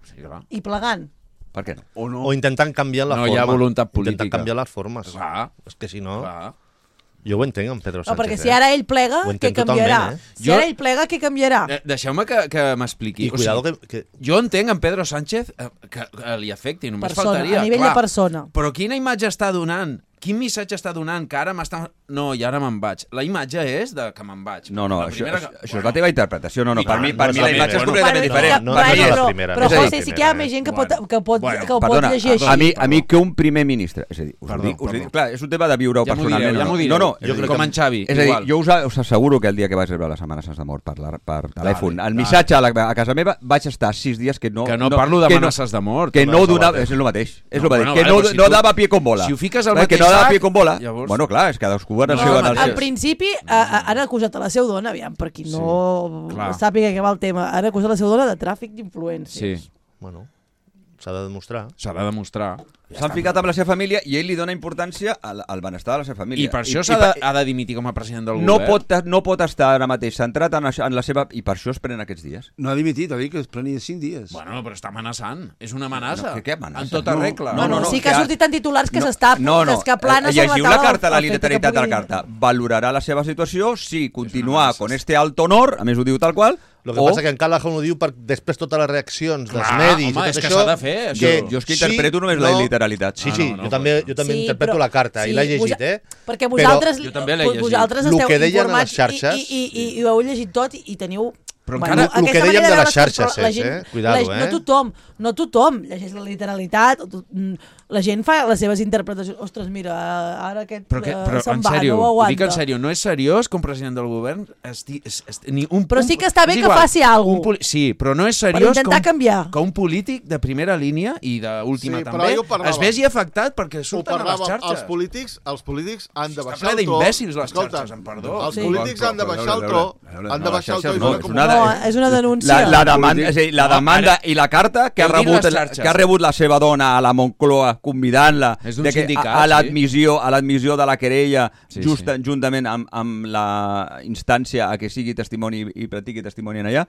Sí, clar. I plegant. Per què no? O no. O intentant canviar la No forma. hi ha voluntat política. Intentant canviar les formes. Clar. És que si no... Clar. Jo ho entenc, en Pedro No, Sánchez. perquè si ara ell plega, Ho què entenc canviarà? totalment, eh? Si Jo- ara ell plega, què canviarà? De- Deixeu-me que, que m'expliqui. I cuidado que... que... Jo entenc en Pedro Sánchez eh, que, que li afecti, només Persona, faltaria. a nivell clar. de persona. Però quina imatge està donant? Quin missatge està donant? Que ara m'està... No, i ara me'n vaig. La imatge és de que me'n vaig. No, no, La això, primera això, que- això és la teva interpretació. No, no, I per tant, mi, no per és mi la la imatge és primera. completament Bueno, diferent. no, però, no és la però, primera, però no és la José, sí que hi ha primera, més gent que Bueno, pot, que pot, bueno, que ho pot Perdona, llegir així. a mi, a perdó. mi que un primer ministre... És a dir, us Perdó, ho dic, us ho perdó. dic, clar, és un tema de viure-ho Ja m'ho personalment. direu, ja o m'ho no. direu. No, no, Jo és a dir, crec Com en Xavi, És a dir, igual. jo us, us asseguro que el dia que vaig rebre la Setmana Sants de mort per, la, per telèfon, el missatge a, la, a casa meva, vaig estar sis dies que no... Que no parlo que d'amenaces de mort. Que tu no vas a donava... la- És el mateix. És No, el mateix. bueno, Que vale, no, però si no tu- dava pie con bola. si ho fiques al Eh, Que mateix no dava sac, pie con bola. llavors- Bueno, clar, és que cadascú en el No, seu... no, en el no, En seu- principi, a- a- han acusat a la seu dona, aviam, per qui no clar. sàpiga què va el tema, han acusat a la seu dona de tràfic d'influències. Sí, Bueno, s'ha de demostrar. s'ha de demostrar. S'han ficat amb la seva família i ell li dona importància al, al benestar de la seva família. I per això I- s'ha i de, per- ha de dimitir com a president del no govern. pot, no pot estar ara mateix centrat en, això- en la seva... I per això es prenen aquests dies. No ha dimitit, ha dit que es prenia cinc dies. Bueno, però està amenaçant. És una amenaça. No, què- què amenaça? En tota No, regla. no, no, no, sí que que ha ha- sortit en titulars que No, s'està no, no. que es que plana Eh, sobre llegiu la la taula carta, la el fet que literalitat de la pugui- carta. Valorarà la seva situació, sí, continuar con este alt honor, a més ho diu tal qual, El que o... passa que en Callahan ho diu per després totes les reaccions dels Clar, medis home, i tot és que això... s'ha de fer, això. Jo és que interpreto només la literalitat. Sí, Ah, sí, no, no, jo també, no. jo també Sí, interpreto però- la carta i sí, l'he llegit, vosa- eh? Perquè Però- vosaltres, Jo també l'he llegit. vosaltres Lo esteu que deien a les informats xarxes- i, i, i, i ho heu llegit tot i, i teniu... Però Bueno, encara- lo que aquesta dèiem manera de veure les xarxes coses, però la és, gent- eh? Cuidado, la, eh? No tothom, no tothom llegeix la literalitat, o to- mm, la gent fa les seves interpretacions. Ostres, mira, ara aquest Però, que, eh, però se'n en va, sèrio, no ho ho aguanta. dic en sèrio, no és seriós com president del govern esti, es, es, ni un, Però un- sí que està bé és que faci alguna un poli- Sí, però no és Per seriós intentar com, canviar. que un polític de primera línia i d'última Sí, però també jo parlava- es vegi afectat perquè Ho surten a les parlàvem, xarxes. els polítics, els polítics han de Està baixar ple el to. d'imbècils, les Escolta, xarxes, amb perdó. Els Sí. polítics han de Però, baixar el però, to, a veure, han de no, baixar el to i no, donar és com una- No, és una denúncia. La, la, demanda, és a dir, la No, demanda ara- i la carta que ha, Heu dit rebut, les xarxes. que ha rebut la seva dona a la Moncloa convidant-la És d'un de que sindicat, a, a sí. l'admissió a l'admissió de la querella Sí, just, sí. juntament amb, amb la instància a que sigui testimoni i practiqui testimoni en allà.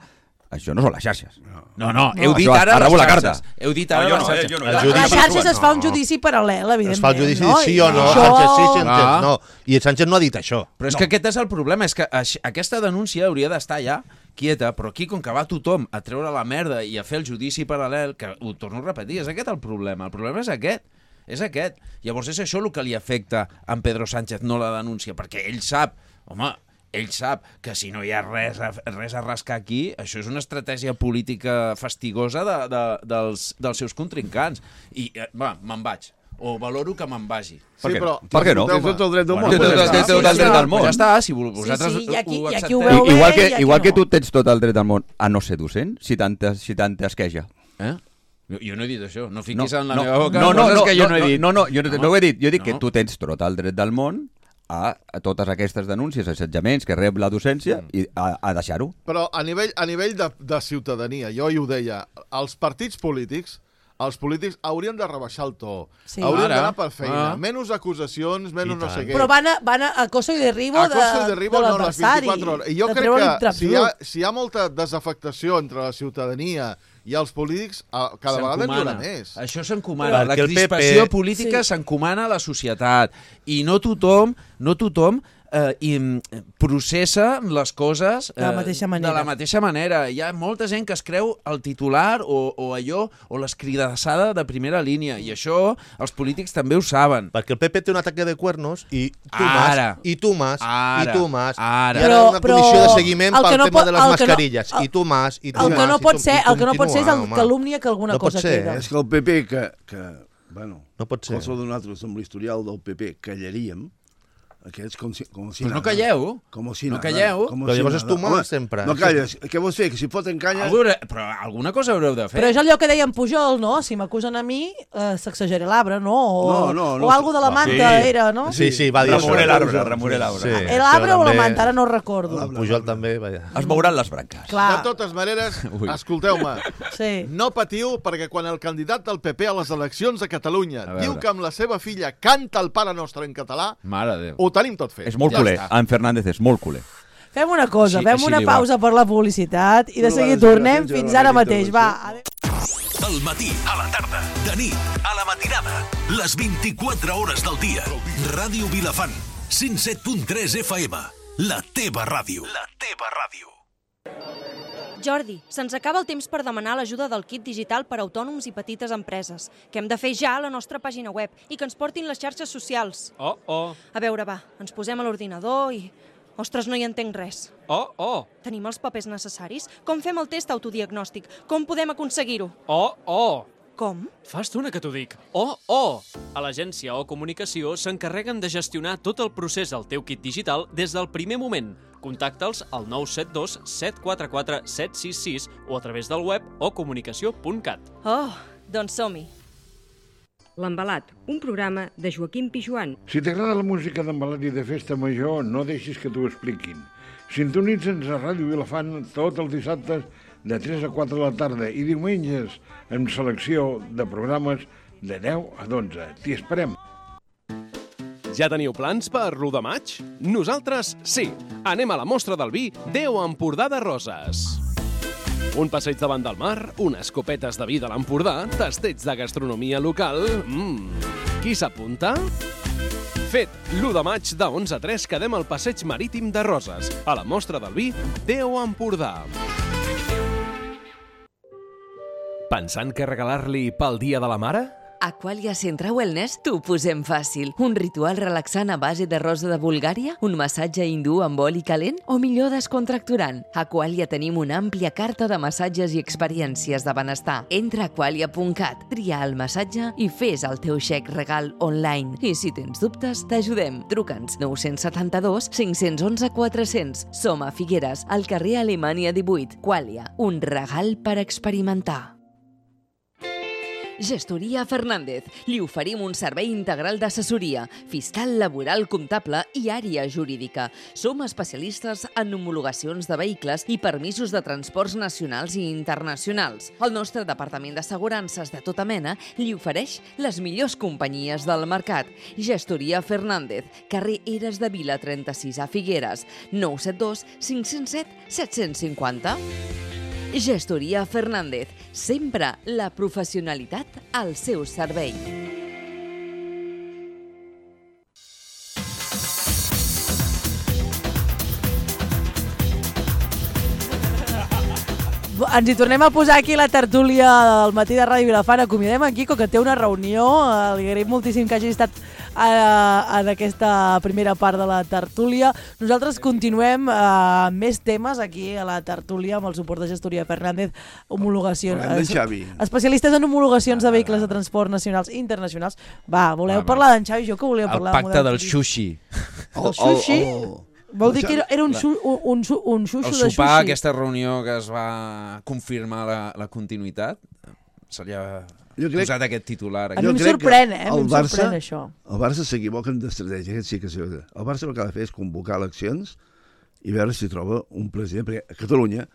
Això no són les xarxes. No, no, heu dit Això, ara ha les rebut la xarxes. carta. Heu dit No, ara jo les no, eh, xarxes. jo no. El A judici- les xarxes es fa un No. judici paral·lel, evidentment. Es fa el judici no? sí o no, I Sánchez sí, això- Sánchez Ah. no. I el Sánchez no ha dit això. Però és que aquest és el problema, és que aix- aquesta denúncia hauria d'estar ja quieta, però aquí, com que va tothom a treure la merda i a fer el judici paral·lel, que ho torno a repetir, és aquest el problema. El problema és aquest. És aquest. Llavors és això el que li afecta a en Pedro Sánchez, no la denúncia, perquè ell sap, home, ell sap que si no hi ha res a, res a rascar aquí, això és una estratègia política fastigosa de, de, dels, dels seus contrincants. I, eh, va, me'n vaig. O valoro que me'n vagi. Per Sí, què però- no? Per què no? Tens tot el dret del Bueno, món. Té tot- pues té ja tot està. el dret del món. Pues ja està, si vo- vosaltres sí, i aquí- ho i aquí ho accepteu. veu bé. Igual que, i aquí igual no. que tu tens tot el dret del món a no ser docent, si tant, si tant t'esqueja. Eh? Jo, jo no he dit això. No No, fiquis en la no, meva boca no, no, coses no, que jo no, no he dit. No, no, jo no, no ho he dit. Jo he dit No. que tu tens tot el dret del món a, a totes aquestes denúncies, assetjaments que rep la docència i a, a deixar-ho. Però a nivell, a nivell de, de ciutadania, jo hi ho deia, els partits polítics, els polítics haurien de rebaixar el to. Sí. Haurien Ara. d'anar per feina. Ah. Menys acusacions, menys I no tant. sé què. Però van a, van a acoso i derribo A de, costa de derribo de no les l'adversari. vint-i-quatre hores. I jo de crec treure'l que traps si hi, ha, bruts. si hi ha molta desafectació entre la ciutadania i els polítics, eh, cada vegada n'hi haurà més. Això s'encomana. La Perquè el P P crispació política Sí. s'encomana a la societat. I no tothom, no tothom eh, i, mm, processa les coses eh, De la mateixa manera. de la mateixa manera. Hi ha molta gent que es creu el titular o, o allò, o l'escridassada de primera línia. I això els polítics també ho saben. Perquè el P P té un ataque de cuernos i tu Ara. más, i tu más, Ara. i tu más. Ara. I ara Però- una però comissió de seguiment el pel que no tema pot- de les el que no- mascarilles. el- I tu más, i tu El más. que no i pot tu- ser, i el que no pot ser és el continua, home. calúmnia que alguna No pot cosa ser, queda. eh? És que el P P, que, que bueno, No pot ser. qualsevol de nosaltres amb l'historial del P P callaríem, Aquests com si, com si Però no nada. calleu. Com si No nada. calleu. Com Però si llavors nada. és tu mal Home, sempre. No calles. Què vols fer? Que si foten canya... Algú, però alguna cosa haureu de fer. Però és allò que deia en Pujol, no? Si m'acusen a mi, eh, sacsejaré l'arbre, no? O, No, no, no. o algo de la manta Sí. era, no? Sí, sí, va dir Remoré això. l'arbre, remoré l'arbre. Sí, El arbre això o la també- manta, ara no ho recordo. El Pujol també, vaja. Es mouran les branques. Clar, De totes maneres, Ui. escolteu-me, sí. no patiu perquè quan el candidat del P P a les eleccions a Catalunya A veure. diu que amb la seva filla canta el Pare Nostre en català, Mare de Déu. ho tenim tot fet. És molt Ja culer. està. En Fernández és molt culer. Fem una cosa, Així- fem així una li va. pausa per la publicitat i de No seguida vas tornem gràcies, fins ja ara la mateix. Va, adéu. Al matí, a la tarda, de nit, a la matinada, les vint-i-quatre hores del dia. Ràdio Vilafant, cent set punt tres F M. La teva ràdio. La teva ràdio. Jordi, se'ns acaba el temps per demanar l'ajuda del kit digital per a autònoms i petites empreses, que hem de fer ja a la nostra pàgina web i que ens portin les xarxes socials. Oh, oh, A veure, va, ens posem a l'ordinador i... Ostres, no hi entenc res. oh, oh, Tenim els papers necessaris? Com fem el test autodiagnòstic? Com podem aconseguir-ho? oh, oh. Com? Fa estona que t'ho dic. Oh, oh! A l'agència o comunicació s'encarreguen de gestionar tot el procés del teu kit digital des del primer moment. Contacta'ls al nou set dos set quatre quatre set sis sis o a través del web o comunicació punt cat. Oh, doncs som-hi. L'Embalat, un programa de Joaquim Pijuan. Si t'agrada la música d'embalat i de festa major, no deixis que t'ho expliquin. Sintonitza'ns a Ràdio Vilafant tots els dissabtes de tres a quatre de la tarda i diumenges amb selecció de programes de deu a dotze. T'hi esperem. Ja teniu plans per l'u de maig? Nosaltres sí. Anem a la mostra del vi Déu Empordà de Roses. Un passeig davant del mar, unes copetes de vi de l'Empordà, tasteig de gastronomia local... Mmm, qui s'apunta? Fet, l'u de maig de onze a tres quedem al passeig marítim de Roses, a la mostra del vi Déu Empordà. Pensant què regalar-li pel Dia de la Mare? Aqualia Centra Wellness t'ho posem fàcil. Un ritual relaxant a base de rosa de Bulgària, un massatge hindú amb oli calent o millor descontracturant. A Aqualia tenim una àmplia carta de massatges i experiències de benestar. Entra a aqualia punt cat, tria el massatge i fes el teu xec regal online. I si tens dubtes, t'ajudem. Truca'ns nou set dos cinc un u quatre zero zero. Som a Figueres, al carrer Alemanya divuit. Aqualia, un regal per experimentar. Gestoria Fernández. Li oferim un servei integral d'assessoria, fiscal, laboral, comptable i àrea jurídica. Som especialistes en homologacions de vehicles i permisos de transports nacionals i internacionals. El nostre departament d'assegurances de tota mena li ofereix les millors companyies del mercat. Gestoria Fernández, carrer Eres de Vila trenta-sis a Figueres, nou set dos cinc zero set set cinc zero. Gestoria Fernández, sempre la professionalitat al seu servei. Ens hi tornem a posar aquí la tertúlia del matí de Ràdio Vilafant. Acomiadem en Quico, que té una reunió. Li agraïm moltíssim que hagi estat en aquesta primera part de la tertúlia. Nosaltres continuem amb més temes aquí a la tertúlia amb el suport de Gestoria Fernández, homologacions. Parlem d'en Xavi. Especialistes en homologacions de vehicles de transport nacionals i internacionals. Va, voleu parlar d'en Xavi? Jo que volíeu parlar El pacte del sushi. El sushi? Vol dir que era, era un, su, un, un, un xuxo el de sushi. El sopar, aquesta reunió que es va confirmar la, la continuïtat, se li ha posat aquest titular. A mi em sorprèn, eh? Em sorprèn això. El Barça s'equivoca en d'estratègia, aquest sí que sí. El Barça el que ha de fer és convocar eleccions i veure si troba un president, perquè a Catalunya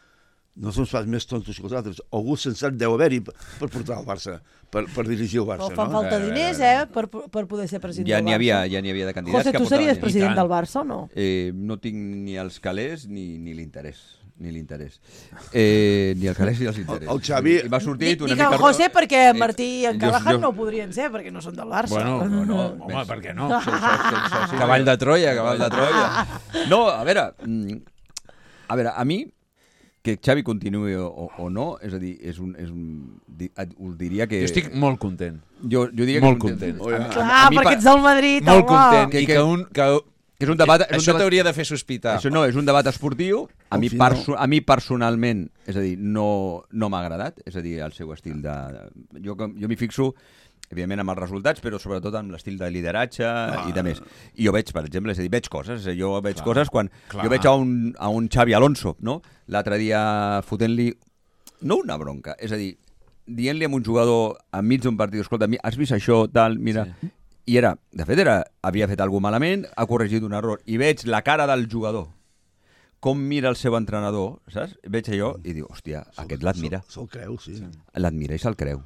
no som pas més tontos que els altres. Algú sensat deu haver-hi per portar el Barça, per, per dirigir el Barça. Però fan no? falta diners, eh, per, per poder ser president ja del Barça. Havia, ja n'hi havia de candidats. José, que tu series apuntaven. president del Barça o no? Eh, no tinc ni els calés ni, ni l'interès. Ni l'interès. Eh, ni el calés ni els interès. El, el Xavi... I va sortir Dic, una dic mica... el José perquè en Martí i en jo- Callahan jo- no ho podrien ser, perquè no són del Barça. Bueno, no, no, home, per què no? Sí, això, això, això, sí. Cavall de Troia, cavall de Troia. No, a veure, mm, a veure, a mi, que Xavi continuï o, o no, és a dir, és un, és un, di, us diria que... Jo estic molt content. Jo, jo diria molt que content. content. Oh, ja. Clar, perquè ets del Madrid, molt home. content. Que- I que- que un... Que, que és un debat, és un això debat- t'hauria de fer sospitar. Això no, és un debat esportiu. A Al mi, final- perso a mi personalment, és a dir, no, no m'ha agradat, és a dir, el seu estil de... de jo jo m'hi fixo evidentment amb els resultats, però sobretot amb l'estil de lideratge ah. i de més. I jo veig, per exemple, és a dir, veig coses, jo veig clar, coses quan clar. jo veig a un, a un Xavi Alonso, no? L'altre dia fotent-li, no una bronca, és a dir, dient-li a un jugador enmig d'un partit, escolta, has vist això, tal, mira... Sí. I era, de fet, era, havia fet alguna malament, ha corregit un error, i veig la cara del jugador, com mira el seu entrenador, saps? Veig allò i diu, hòstia, aquest l'admira. Se'l creu, sí. L'admira i se'l creu.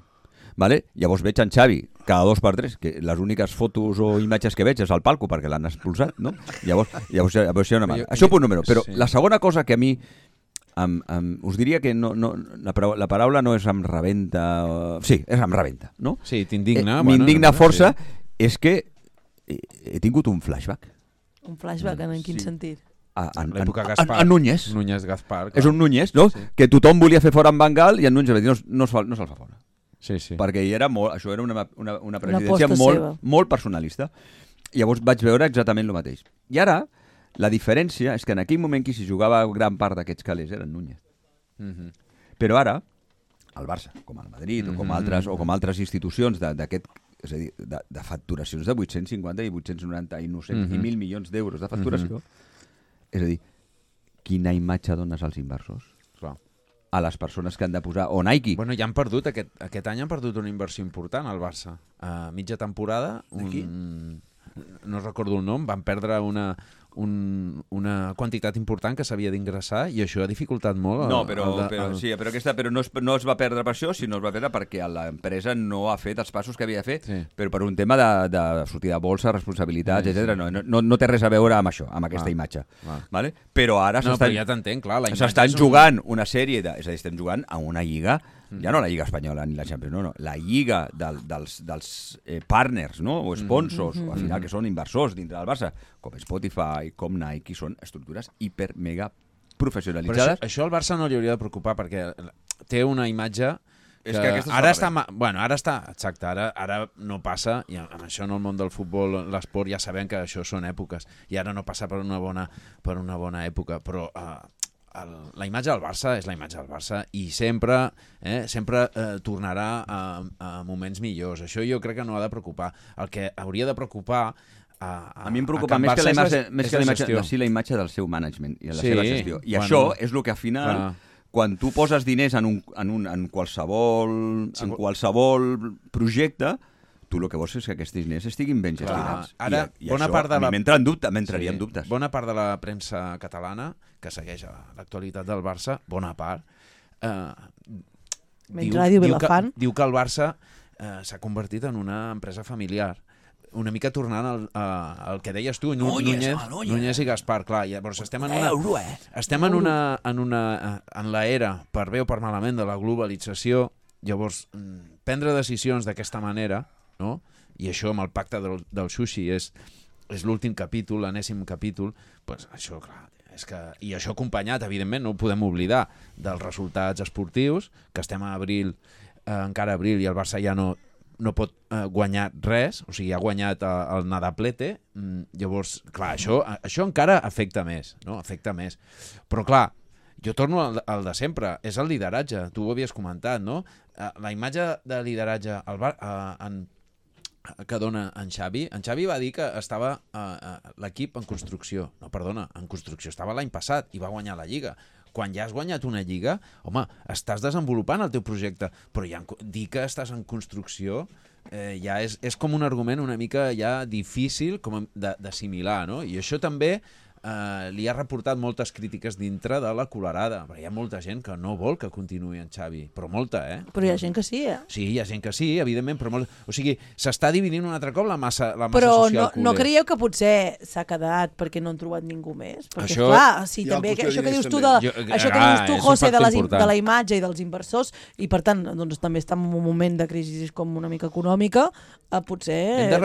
Vale? Llavors veig en Xavi cada dos per tres, que les úniques fotos o imatges que veig és al palco perquè l'han expulsat, no? Llavors, llavors, llavors hi ha una mala. Això punt número. Però sí. la segona cosa que a mi em, em, us diria que no, no, la, paraula, la paraula no és em rebenta, o... sí, és em rebenta, no? Sí, t'indigna. Eh, M'indigna bueno, força, sí. és que he, he tingut un flashback. Un flashback, en, en quin sí. sentit? A, a, a, l'època Gaspar. A, a Núñez. Núñez Gaspar. Clar. És un Núñez, no? Sí. Que tothom volia fer fora en Van Gaal i en Núñez va dir no, no, se'l no se fa fora. Sí, sí. Perquè era molt, això era una, una, una presidència una molt, molt personalista. I llavors vaig veure exactament el mateix. I ara, la diferència és que en aquell moment qui s'hi jugava gran part d'aquests calés era en Núñez. Mm-hmm. Però ara, el Barça, com el Madrid mm-hmm. o, com altres, o com altres institucions d'aquest, és a dir, de, de facturacions de vuit-cents cinquanta i vuit-cents noranta i, no sé, mm-hmm. i mil milions d'euros de facturació, mm-hmm. és a dir, quina imatge dones als inversors? Clar. A les persones que han de posar, o Nike. Bueno, ja han perdut, aquest, aquest any han perdut una inversió important al Barça. A mitja temporada, un, no recordo el nom, van perdre una, un, una quantitat important que s'havia d'ingressar i això ha dificultat molt. No, però, el, el, però, el... sí, però, aquesta, però no, es, no es va perdre per això, sinó es va perdre perquè l'empresa no ha fet els passos que havia de fer, sí. però per un tema de, de sortir de bolsa, responsabilitats, sí, etcètera. Sí. No, no, no té res a veure amb això, amb aquesta ah, imatge. Ah. Vale? Però ara no, però ja t'entenc, clar. S'estan jugant un... una sèrie de... És a dir, estem jugant a una lliga, mm. ja no la Lliga Espanyola ni la Champions, no, no, la lliga del, dels, dels eh, partners, no? O sponsors, mm -hmm. o al final que són inversors dintre del Barça, com Spotify, com Nike, són estructures hiper, mega professionalitzades. Però això, això al Barça no li hauria de preocupar perquè té una imatge que, és que ara està, bueno, ara està, exacte, ara, ara no passa, i amb això en el món del futbol, l'esport, ja sabem que això són èpoques, i ara no passa per una bona, per una bona època, però uh, el, la imatge del Barça és la imatge del Barça i sempre, eh, sempre eh, tornarà a, a moments millors. Això jo crec que no ha de preocupar. El que hauria de preocupar A, a, a mi em preocupa més que la imatge, més que la imatge, la, sí, la imatge del seu management i la sí, seva gestió. I bueno, això és el que al final, clar. quan tu poses diners en, un, en, un, en, qualsevol, sí, en qualsevol projecte, tu el que vols és que aquests diners estiguin ben gestionats. Ara, I, i bona això part de la... m'entra en dubte, m'entraria sí, en dubtes. Bona part de la premsa catalana, que segueix l'actualitat del Barça, bona part, eh, diu, diu, que, diu que el Barça eh, s'ha convertit en una empresa familiar. Una mica tornant al, al que deies tu, Núñez, Núñez i Gaspar, clar, llavors estem en una, estem en una, en una, en la era, per bé o per malament, de la globalització, llavors prendre decisions d'aquesta manera, no? I això amb el pacte del, del sushi és, és l'últim capítol, l'enèsim capítol, pues això, clar, és que, i això acompanyat, evidentment, no ho podem oblidar, dels resultats esportius, que estem a abril, eh, encara a abril, i el Barça ja no no pot eh, guanyar res, o sigui, ha guanyat eh, el Nadaplete, mm, llavors, clar, això, això encara afecta més, no? Afecta més. Però, clar, jo torno al, al de sempre, és el lideratge, tu ho havies comentat, no? Eh, la imatge de lideratge al bar, eh, en, que dona en Xavi, en Xavi va dir que estava eh, l'equip en construcció, no, perdona, en construcció estava l'any passat i va guanyar la Lliga. Quan ja has guanyat una lliga, home, estàs desenvolupant el teu projecte, però ja dir que estàs en construcció eh, ja és, és com un argument una mica ja difícil com d'assimilar, no? I això també eh, li ha reportat moltes crítiques dintre de la Colerada, perquè hi ha molta gent que no vol que continuï en Xavi, però molta, eh? Però hi ha gent que sí, eh? Sí, hi ha gent que sí, evidentment, però molt... O sigui, s'està dividint un altre cop la massa, la massa però social culer. Però no, no creieu que potser s'ha quedat perquè no han trobat ningú més? Perquè, això... clar, sí, també, que, això que dius tu, de, jo, això que dius tu, José, de, les, de la imatge i dels inversors, i per tant, doncs, també està en un moment de crisi com una mica econòmica, eh, potser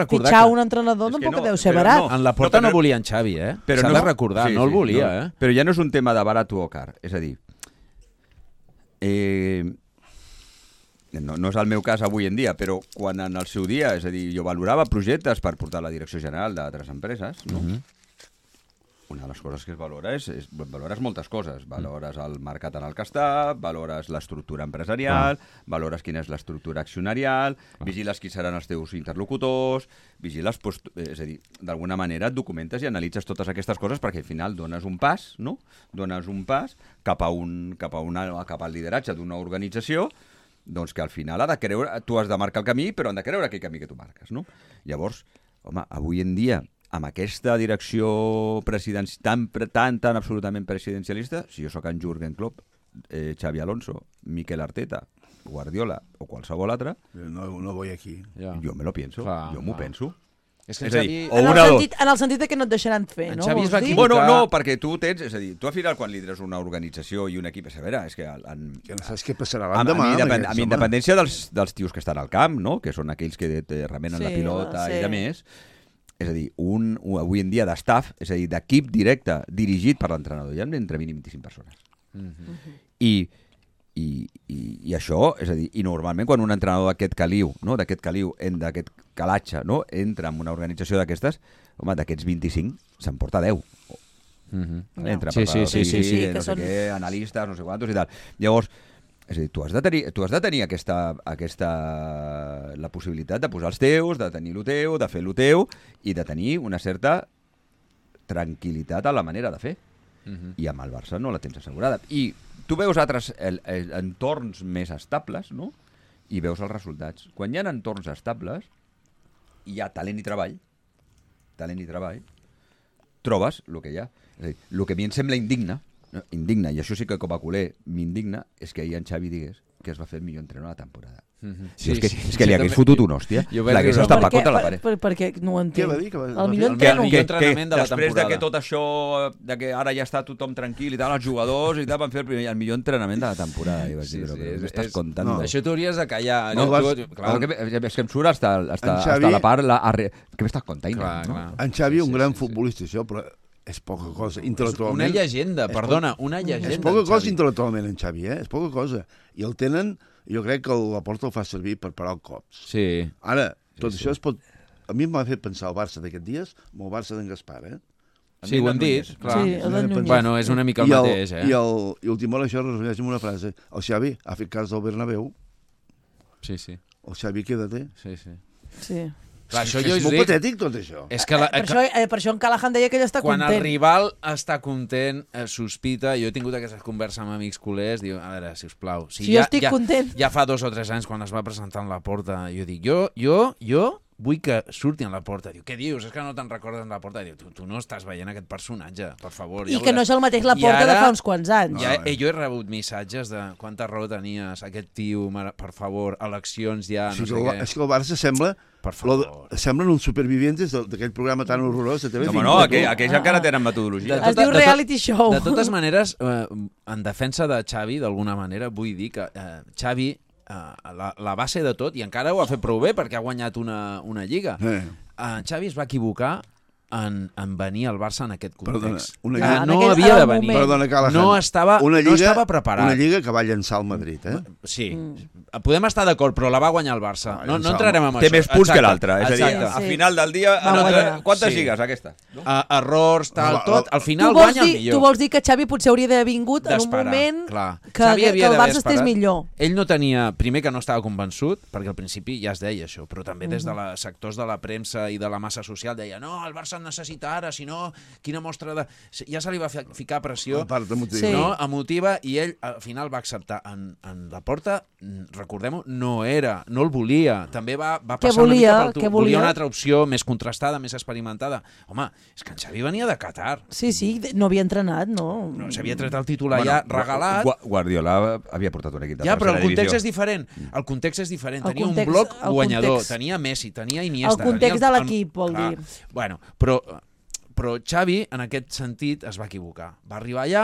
fitxar que... un entrenador tampoc no, deu ser barat. No, en la porta no, no volia en Xavi, eh? S'ha de recordar, sí, no el volia. No, eh? Però ja no és un tema de barat o car, és a dir, eh, no, no és el meu cas avui en dia, però quan en el seu dia, és a dir, jo valorava projectes per portar a la direcció general d'altres empreses, no? Mm-hmm. una de les coses que es valora és, és valores moltes coses. Valores el mercat en el que està, valores l'estructura empresarial, ah. valores quina és l'estructura accionarial, ah. vigiles qui seran els teus interlocutors, vigiles, post... és a dir, d'alguna manera et documentes i analitzes totes aquestes coses perquè al final dones un pas, no? Dones un pas cap a un, cap a una, cap al lideratge d'una organització, doncs que al final ha de creure, tu has de marcar el camí, però han de creure aquell camí que tu marques, no? Llavors, home, avui en dia, amb aquesta direcció presidenci... tan, tan, tan absolutament presidencialista, si jo sóc en Jürgen Klopp, eh, Xavi Alonso, Mikel Arteta, Guardiola o qualsevol altre... No, no voy aquí. Ja. Jo me lo pienso, clar, jo m'ho penso. És, que és a dir, o en, el sentit, en el sentit que no et deixaran fer, no? Xavi es va equivocar... Bueno, no, perquè tu tens... És a dir, tu al final quan lideres una organització i un equip... A veure, és que... En, que no saps què passarà l'endemà. Amb, amb, amb independència dels, dels tios que estan al camp, no? Que són aquells que remenen sí, la pilota sí. i de més... És a dir, un, un, avui en dia d'estaff, és a dir, d'equip directe dirigit per l'entrenador, hi ha entre mínim vint-i-cinc persones. Mm-hmm. I, i, i, I això, és a dir, i normalment quan un entrenador d'aquest caliu, no? d'aquest caliu, d'aquest calatge, no? entra en una organització d'aquestes, home, d'aquests vint-i-cinc s'emporta deu. Mm-hmm. Entra sí, sí, sí, sí, sí, no sé són... què, analistes, no sé quantos i tal. Llavors, és a dir, tu has de tenir, tu has de tenir aquesta, aquesta, la possibilitat de posar els teus, de tenir el teu, de fer el teu i de tenir una certa tranquil·litat a la manera de fer. Uh-huh. I amb el Barça no la tens assegurada. I tu veus altres el, el, entorns més estables, no? I veus els resultats. Quan hi ha entorns estables, hi ha talent i treball, talent i treball, trobes el que hi ha. És a dir, el que a mi em sembla indigne, no, indigna, i això sí que com a culer m'indigna, és que ahir en Xavi digués que es va fer el millor entrenador de la temporada. Mm-hmm. Sí, és que, sí, és que li hagués també... fotut una hòstia, l'hagués estampat contra la paret. Per, per, perquè no ho entenc. Què va dir? Que va, el millor que, entrenament, que, entrenament que, de la després temporada. De que tot això, de que ara ja està tothom tranquil i tal, els jugadors i tal, van fer el, primer, el millor entrenament de la temporada. I vaig dir, sí, però, sí, però què estàs contant? No. Això t'hauries de callar. No, no, vas, tu, clar. Que, és que em surt hasta, hasta, Xavi, hasta la part... La, arre... Què m'estàs contant? Clar, no? clar. En Xavi, sí, un sí, gran sí, futbolista, això, però és poca cosa, intel·lectualment. Una llegenda, perdona, una llegenda. És poca cosa intel·lectualment, en Xavi, eh? És poca cosa. I el tenen, jo crec que la Porta el fa servir per parar el cops. Sí. Ara, tot sí, això sí. es pot... A mi m'ha fet pensar el Barça d'aquests dies amb el Barça d'en Gaspar, eh? Sí, ho hem dit, clar. Sí, el bueno, és una mica el, I el mateix, eh? I, el, i últim hora això es resumeix amb una frase. El Xavi ha fet cas del Bernabéu. Sí, sí. El Xavi, quédate. Sí, sí. Sí. Clar, això és jo és molt dic, patètic, tot això. És que la, per, això, eh, per això en Callahan deia que ell està quan content. el rival està content, eh, sospita, jo he tingut aquestes converses amb amics culers, diu, a veure, sisplau, si, si ja, jo estic ja, content... Ja fa dos o tres anys, quan es va presentar en la porta, jo dic, jo, jo, jo vull que surti en la porta. Diu, què dius? És que no te'n recordes en la porta. Diu, tu, tu no estàs veient aquest personatge, per favor. I ja que no és el mateix la porta ara, de fa uns quants anys. Ja, eh, jo he rebut missatges de quanta raó tenies, aquest tio, per favor, eleccions ja, no sí, sé el, què. És que el Barça sembla... Per favor. Lo, semblen uns supervivientes d'aquell programa tan horrorós de T V cinc. No, no, aquell, aquells ah, encara tenen metodologia. Es diu reality show. De totes maneres, eh, en defensa de Xavi, d'alguna manera, vull dir que eh, Xavi, eh, la, la base de tot, i encara ho ha fet prou bé perquè ha guanyat una, una lliga, eh. eh, Xavi es va equivocar en, en venir al Barça en aquest context. Perdona, una lliga, no aquell, havia de venir. Perdona, Callahan, no, estava, una lliga, no estava preparat. Una lliga que va llançar el Madrid, eh? Sí. Mm. Podem estar d'acord, però la va guanyar el Barça. No, no entrarem en Té això. més punts Exacte. que l'altre. És a dir, Exacte. a final del dia... No, quantes sí. lligues, aquesta? No? Uh, errors, tal, tot. Al final tu guanya dir, el millor. Tu vols dir que Xavi potser hauria d'haver vingut en un moment clar. que, que, que el Barça estés millor. Ell no tenia... Primer que no estava convençut, perquè al principi ja es deia això, però també des de la, sectors de la premsa i de la massa social deia no, el Barça necessita ara, si no, quina mostra de... Ja se li va ficar pressió emotiva. Sí. No, emotiva, i ell al final va acceptar. En, en la porta, recordem-ho, no era, no el volia. També va, va passar volia, una mica pel tu. Volia? volia una altra opció més contrastada, més experimentada. Home, és que en Xavi venia de Qatar. Sí, sí, no havia entrenat, no. no S'havia tret el titular bueno, ja regalat. Guardiola havia portat un equip de ja, però el context divisió. és diferent. El context és diferent. El tenia context, un bloc guanyador, context. tenia Messi, tenia Iniesta. El context tenia el, de l'equip, vol clar. dir. Bueno, però, però Xavi, en aquest sentit, es va equivocar. Va arribar allà,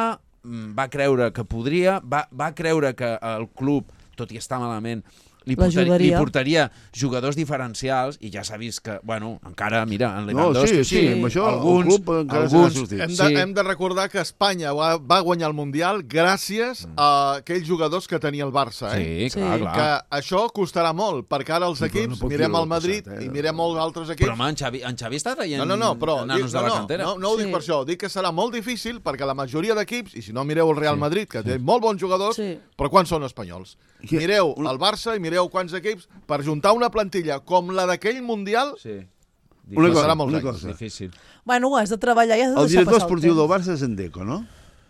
va creure que podria, va, va creure que el club, tot i estar malament, li, portaria, li portaria jugadors diferencials i ja s'ha vist que, bueno, encara, mira, en Lewandowski, no, sí, sí, amb això alguns, el club encara alguns hem, de, sí. hem de recordar que Espanya va, va guanyar el Mundial gràcies mm. a aquells jugadors que tenia el Barça. Eh? Sí, clar, clar. Que això costarà molt, perquè ara els sí, equips, no mirem el Madrid passat, eh? i mirem molts altres equips... Però, home, en Xavi, en Xavi està traient no, no, no, però, nanos dic, de no, la cantera. No, no, no ho sí. dic per això, dic que serà molt difícil perquè la majoria d'equips, i si no mireu el Real sí. Madrid, que té molt bons jugadors, sí. però quants són espanyols? Mireu el Barça i mireu quants equips per juntar una plantilla com la d'aquell Mundial, sí. una cosa, serà molt difícil. Bueno, has de treballar i has de el deixar director passar el esportiu temps. del Barça és en Deco, no?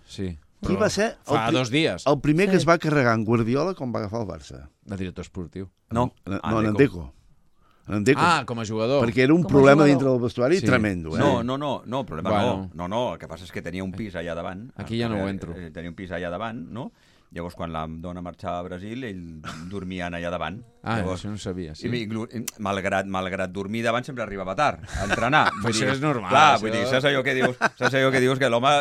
Sí. Qui va ser? Fa dos dies. El primer sí. que es va carregar en Guardiola quan va agafar el Barça. El director esportiu. No, no, en Deco. En Deco. Ah, com a jugador. Perquè era un com problema dintre del vestuari sí. tremendo. Eh? No, no, no, no, problema bueno. no. No, no, el que passa és que tenia un pis allà davant. Aquí ja no ho entro. Tenia un pis allà davant, no? Llavors, quan la dona marxava a Brasil, ell dormia allà davant. Ah, Llavors, això no sabia, sí. I, i, malgrat, malgrat dormir davant, sempre arribava tard a entrenar. Però això és normal. Clar, això... vull dir, saps allò que dius? Saps allò que dius que l'home,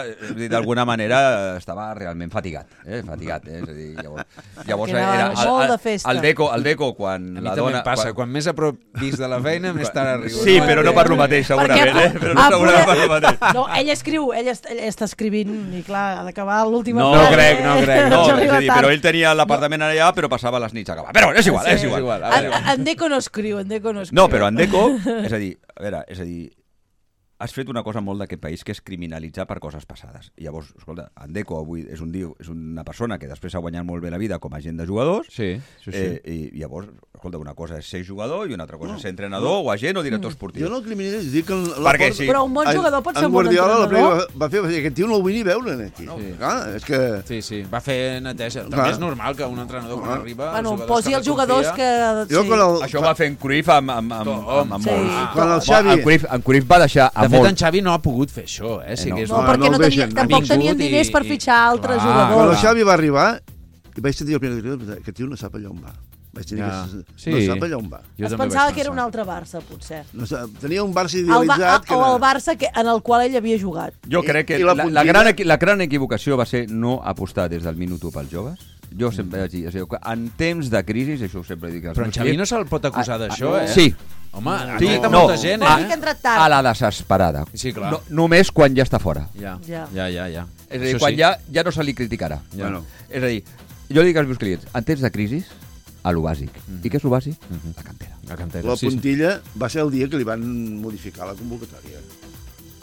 d'alguna manera, estava realment fatigat. Eh? Fatigat, eh? És a dir, llavors... llavors era era, el, molt de festa. El Deco, el Deco, quan a mi la també dona... em passa, quan, quan més a prop vist de la feina, més tard arribo. Sí, però no per lo mateix, segurament, Perquè, eh? Però no segurament per lo mateix. No, ell escriu, ell, est, ell està escrivint, i clar, ha d'acabar l'última no, frase. No crec, no crec. No, no és a dir, però ell tenia l'apartament allà, però passava les nits a acabar. Però és igual, sí, és igual. És igual. En, en Deco no escriu, en Deco no escriu. No, però en Deco, és a dir, a veure, és a dir, has fet una cosa molt d'aquest país, que és criminalitzar per coses passades. I llavors, escolta, en Deco avui és un diu, és una persona que després ha guanyat molt bé la vida com a agent de jugadors, sí, sí, sí. Eh, i llavors, escolta, una cosa és ser jugador i una altra cosa no, és ser entrenador no. o agent o director esportiu. Jo no criminalitzo, dic que... La Perquè, sí. Però un bon jugador pot ser un bon entrenador. entrenador. Va, va fer, aquest tio no el vull ni veure aquí. No. Sí. Clar, és que... Sí, sí, va fer neteja. També és normal que un entrenador quan arriba... Bueno, posi els jugadors que... Sí. El... Això va fer en Cruyff amb, amb, amb, amb, amb sí. molts. Quan el Xavi... En Cruyff, en Cruyff va deixar a de fet, en Xavi no ha pogut fer això, eh? Sí, no, que és no, una... perquè no, no tenia, tampoc tenien diners i, per fitxar altres clar, jugadors. Quan el Xavi va arribar, vaig sentir el primer director, aquest tio no sap allà on va. Vaig tenir ja. que... sí. No sap allà on va. Jo es pensava que era un altre Barça, potser. No, tenia un Barça idealitzat... El que o el Barça que, en el qual ell havia jugat. Jo crec que I, i la, la, gran, la gran equivocació va ser no apostar des del minut u pels joves. Jo sempre vaig dir, en temps de crisi, això ho sempre dic... Però en Xavi no se'l pot acusar d'això, eh? Sí. Home, ha sí, tret a no, molta gent, eh? A, a la desesperada. Sí, clar. No, només quan ja està fora. Ja, ja, ja, ja. ja. És a dir, quan sí. ja, ja no se li criticarà. Ja. Bueno. És a dir, jo dic als meus clients, en temps de crisi, a lo bàsic. Mm. I què és lo bàsic? Mm -hmm. La cantera. La cantera, La sí, puntilla sí. va ser el dia que li van modificar la convocatòria.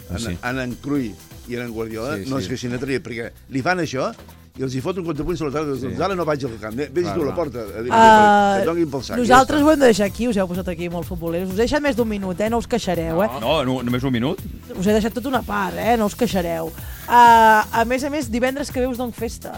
En, sí. en, en Cruyff i en Guardiola sí, sí. no es queixin a trair, perquè li fan això i els hi fot un contrapunt sobre la tarda. Sí. Doncs ara no vaig al camp. Vés tu a la porta. A dir, uh, que donin pel sac. Nosaltres ho hem de deixar aquí. Us heu posat aquí molt futboleros. Us he deixat més d'un minut, eh? No us queixareu, no, eh? No, no, només un minut. Us he deixat tota una part, eh? No us queixareu. Uh, a més a més, divendres que ve us dono festa.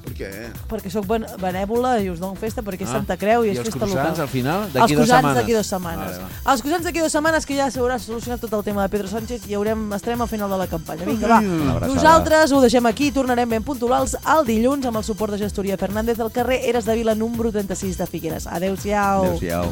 Per què? Perquè sóc ben benèvola i us dono festa perquè és ah. Santa Creu i, I és festa local. I els croissants, al final, d'aquí dues setmanes? Els croissants d'aquí dues setmanes. Vale, va. Els croissants d'aquí dues setmanes, que ja s'haurà solucionat tot el tema de Pedro Sánchez i haurem, estarem al final de la campanya. Vinga, va. Nosaltres ho deixem aquí, tornarem ben puntuals el dilluns amb el suport de Gestoria Fernández al carrer Eres de Vila, número trenta-sis de Figueres. Adéu-siau. Adéu-siau.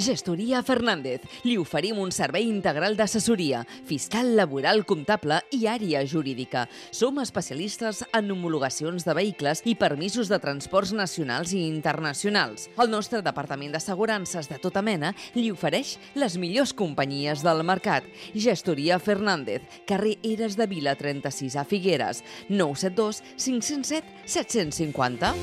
Gestoria Fernández. Li oferim un servei integral d'assessoria, fiscal, laboral, comptable i àrea jurídica. Som especialistes en homologacions de vehicles i permisos de transports nacionals i internacionals. El nostre departament d'assegurances de tota mena li ofereix les millors companyies del mercat. Gestoria Fernández, carrer Eres de Vila trenta-sis a Figueres, nou set dos cinc zero set set cinc zero.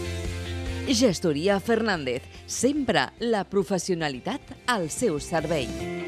Gestoria Fernández, sempre la professionalitat al seu servei.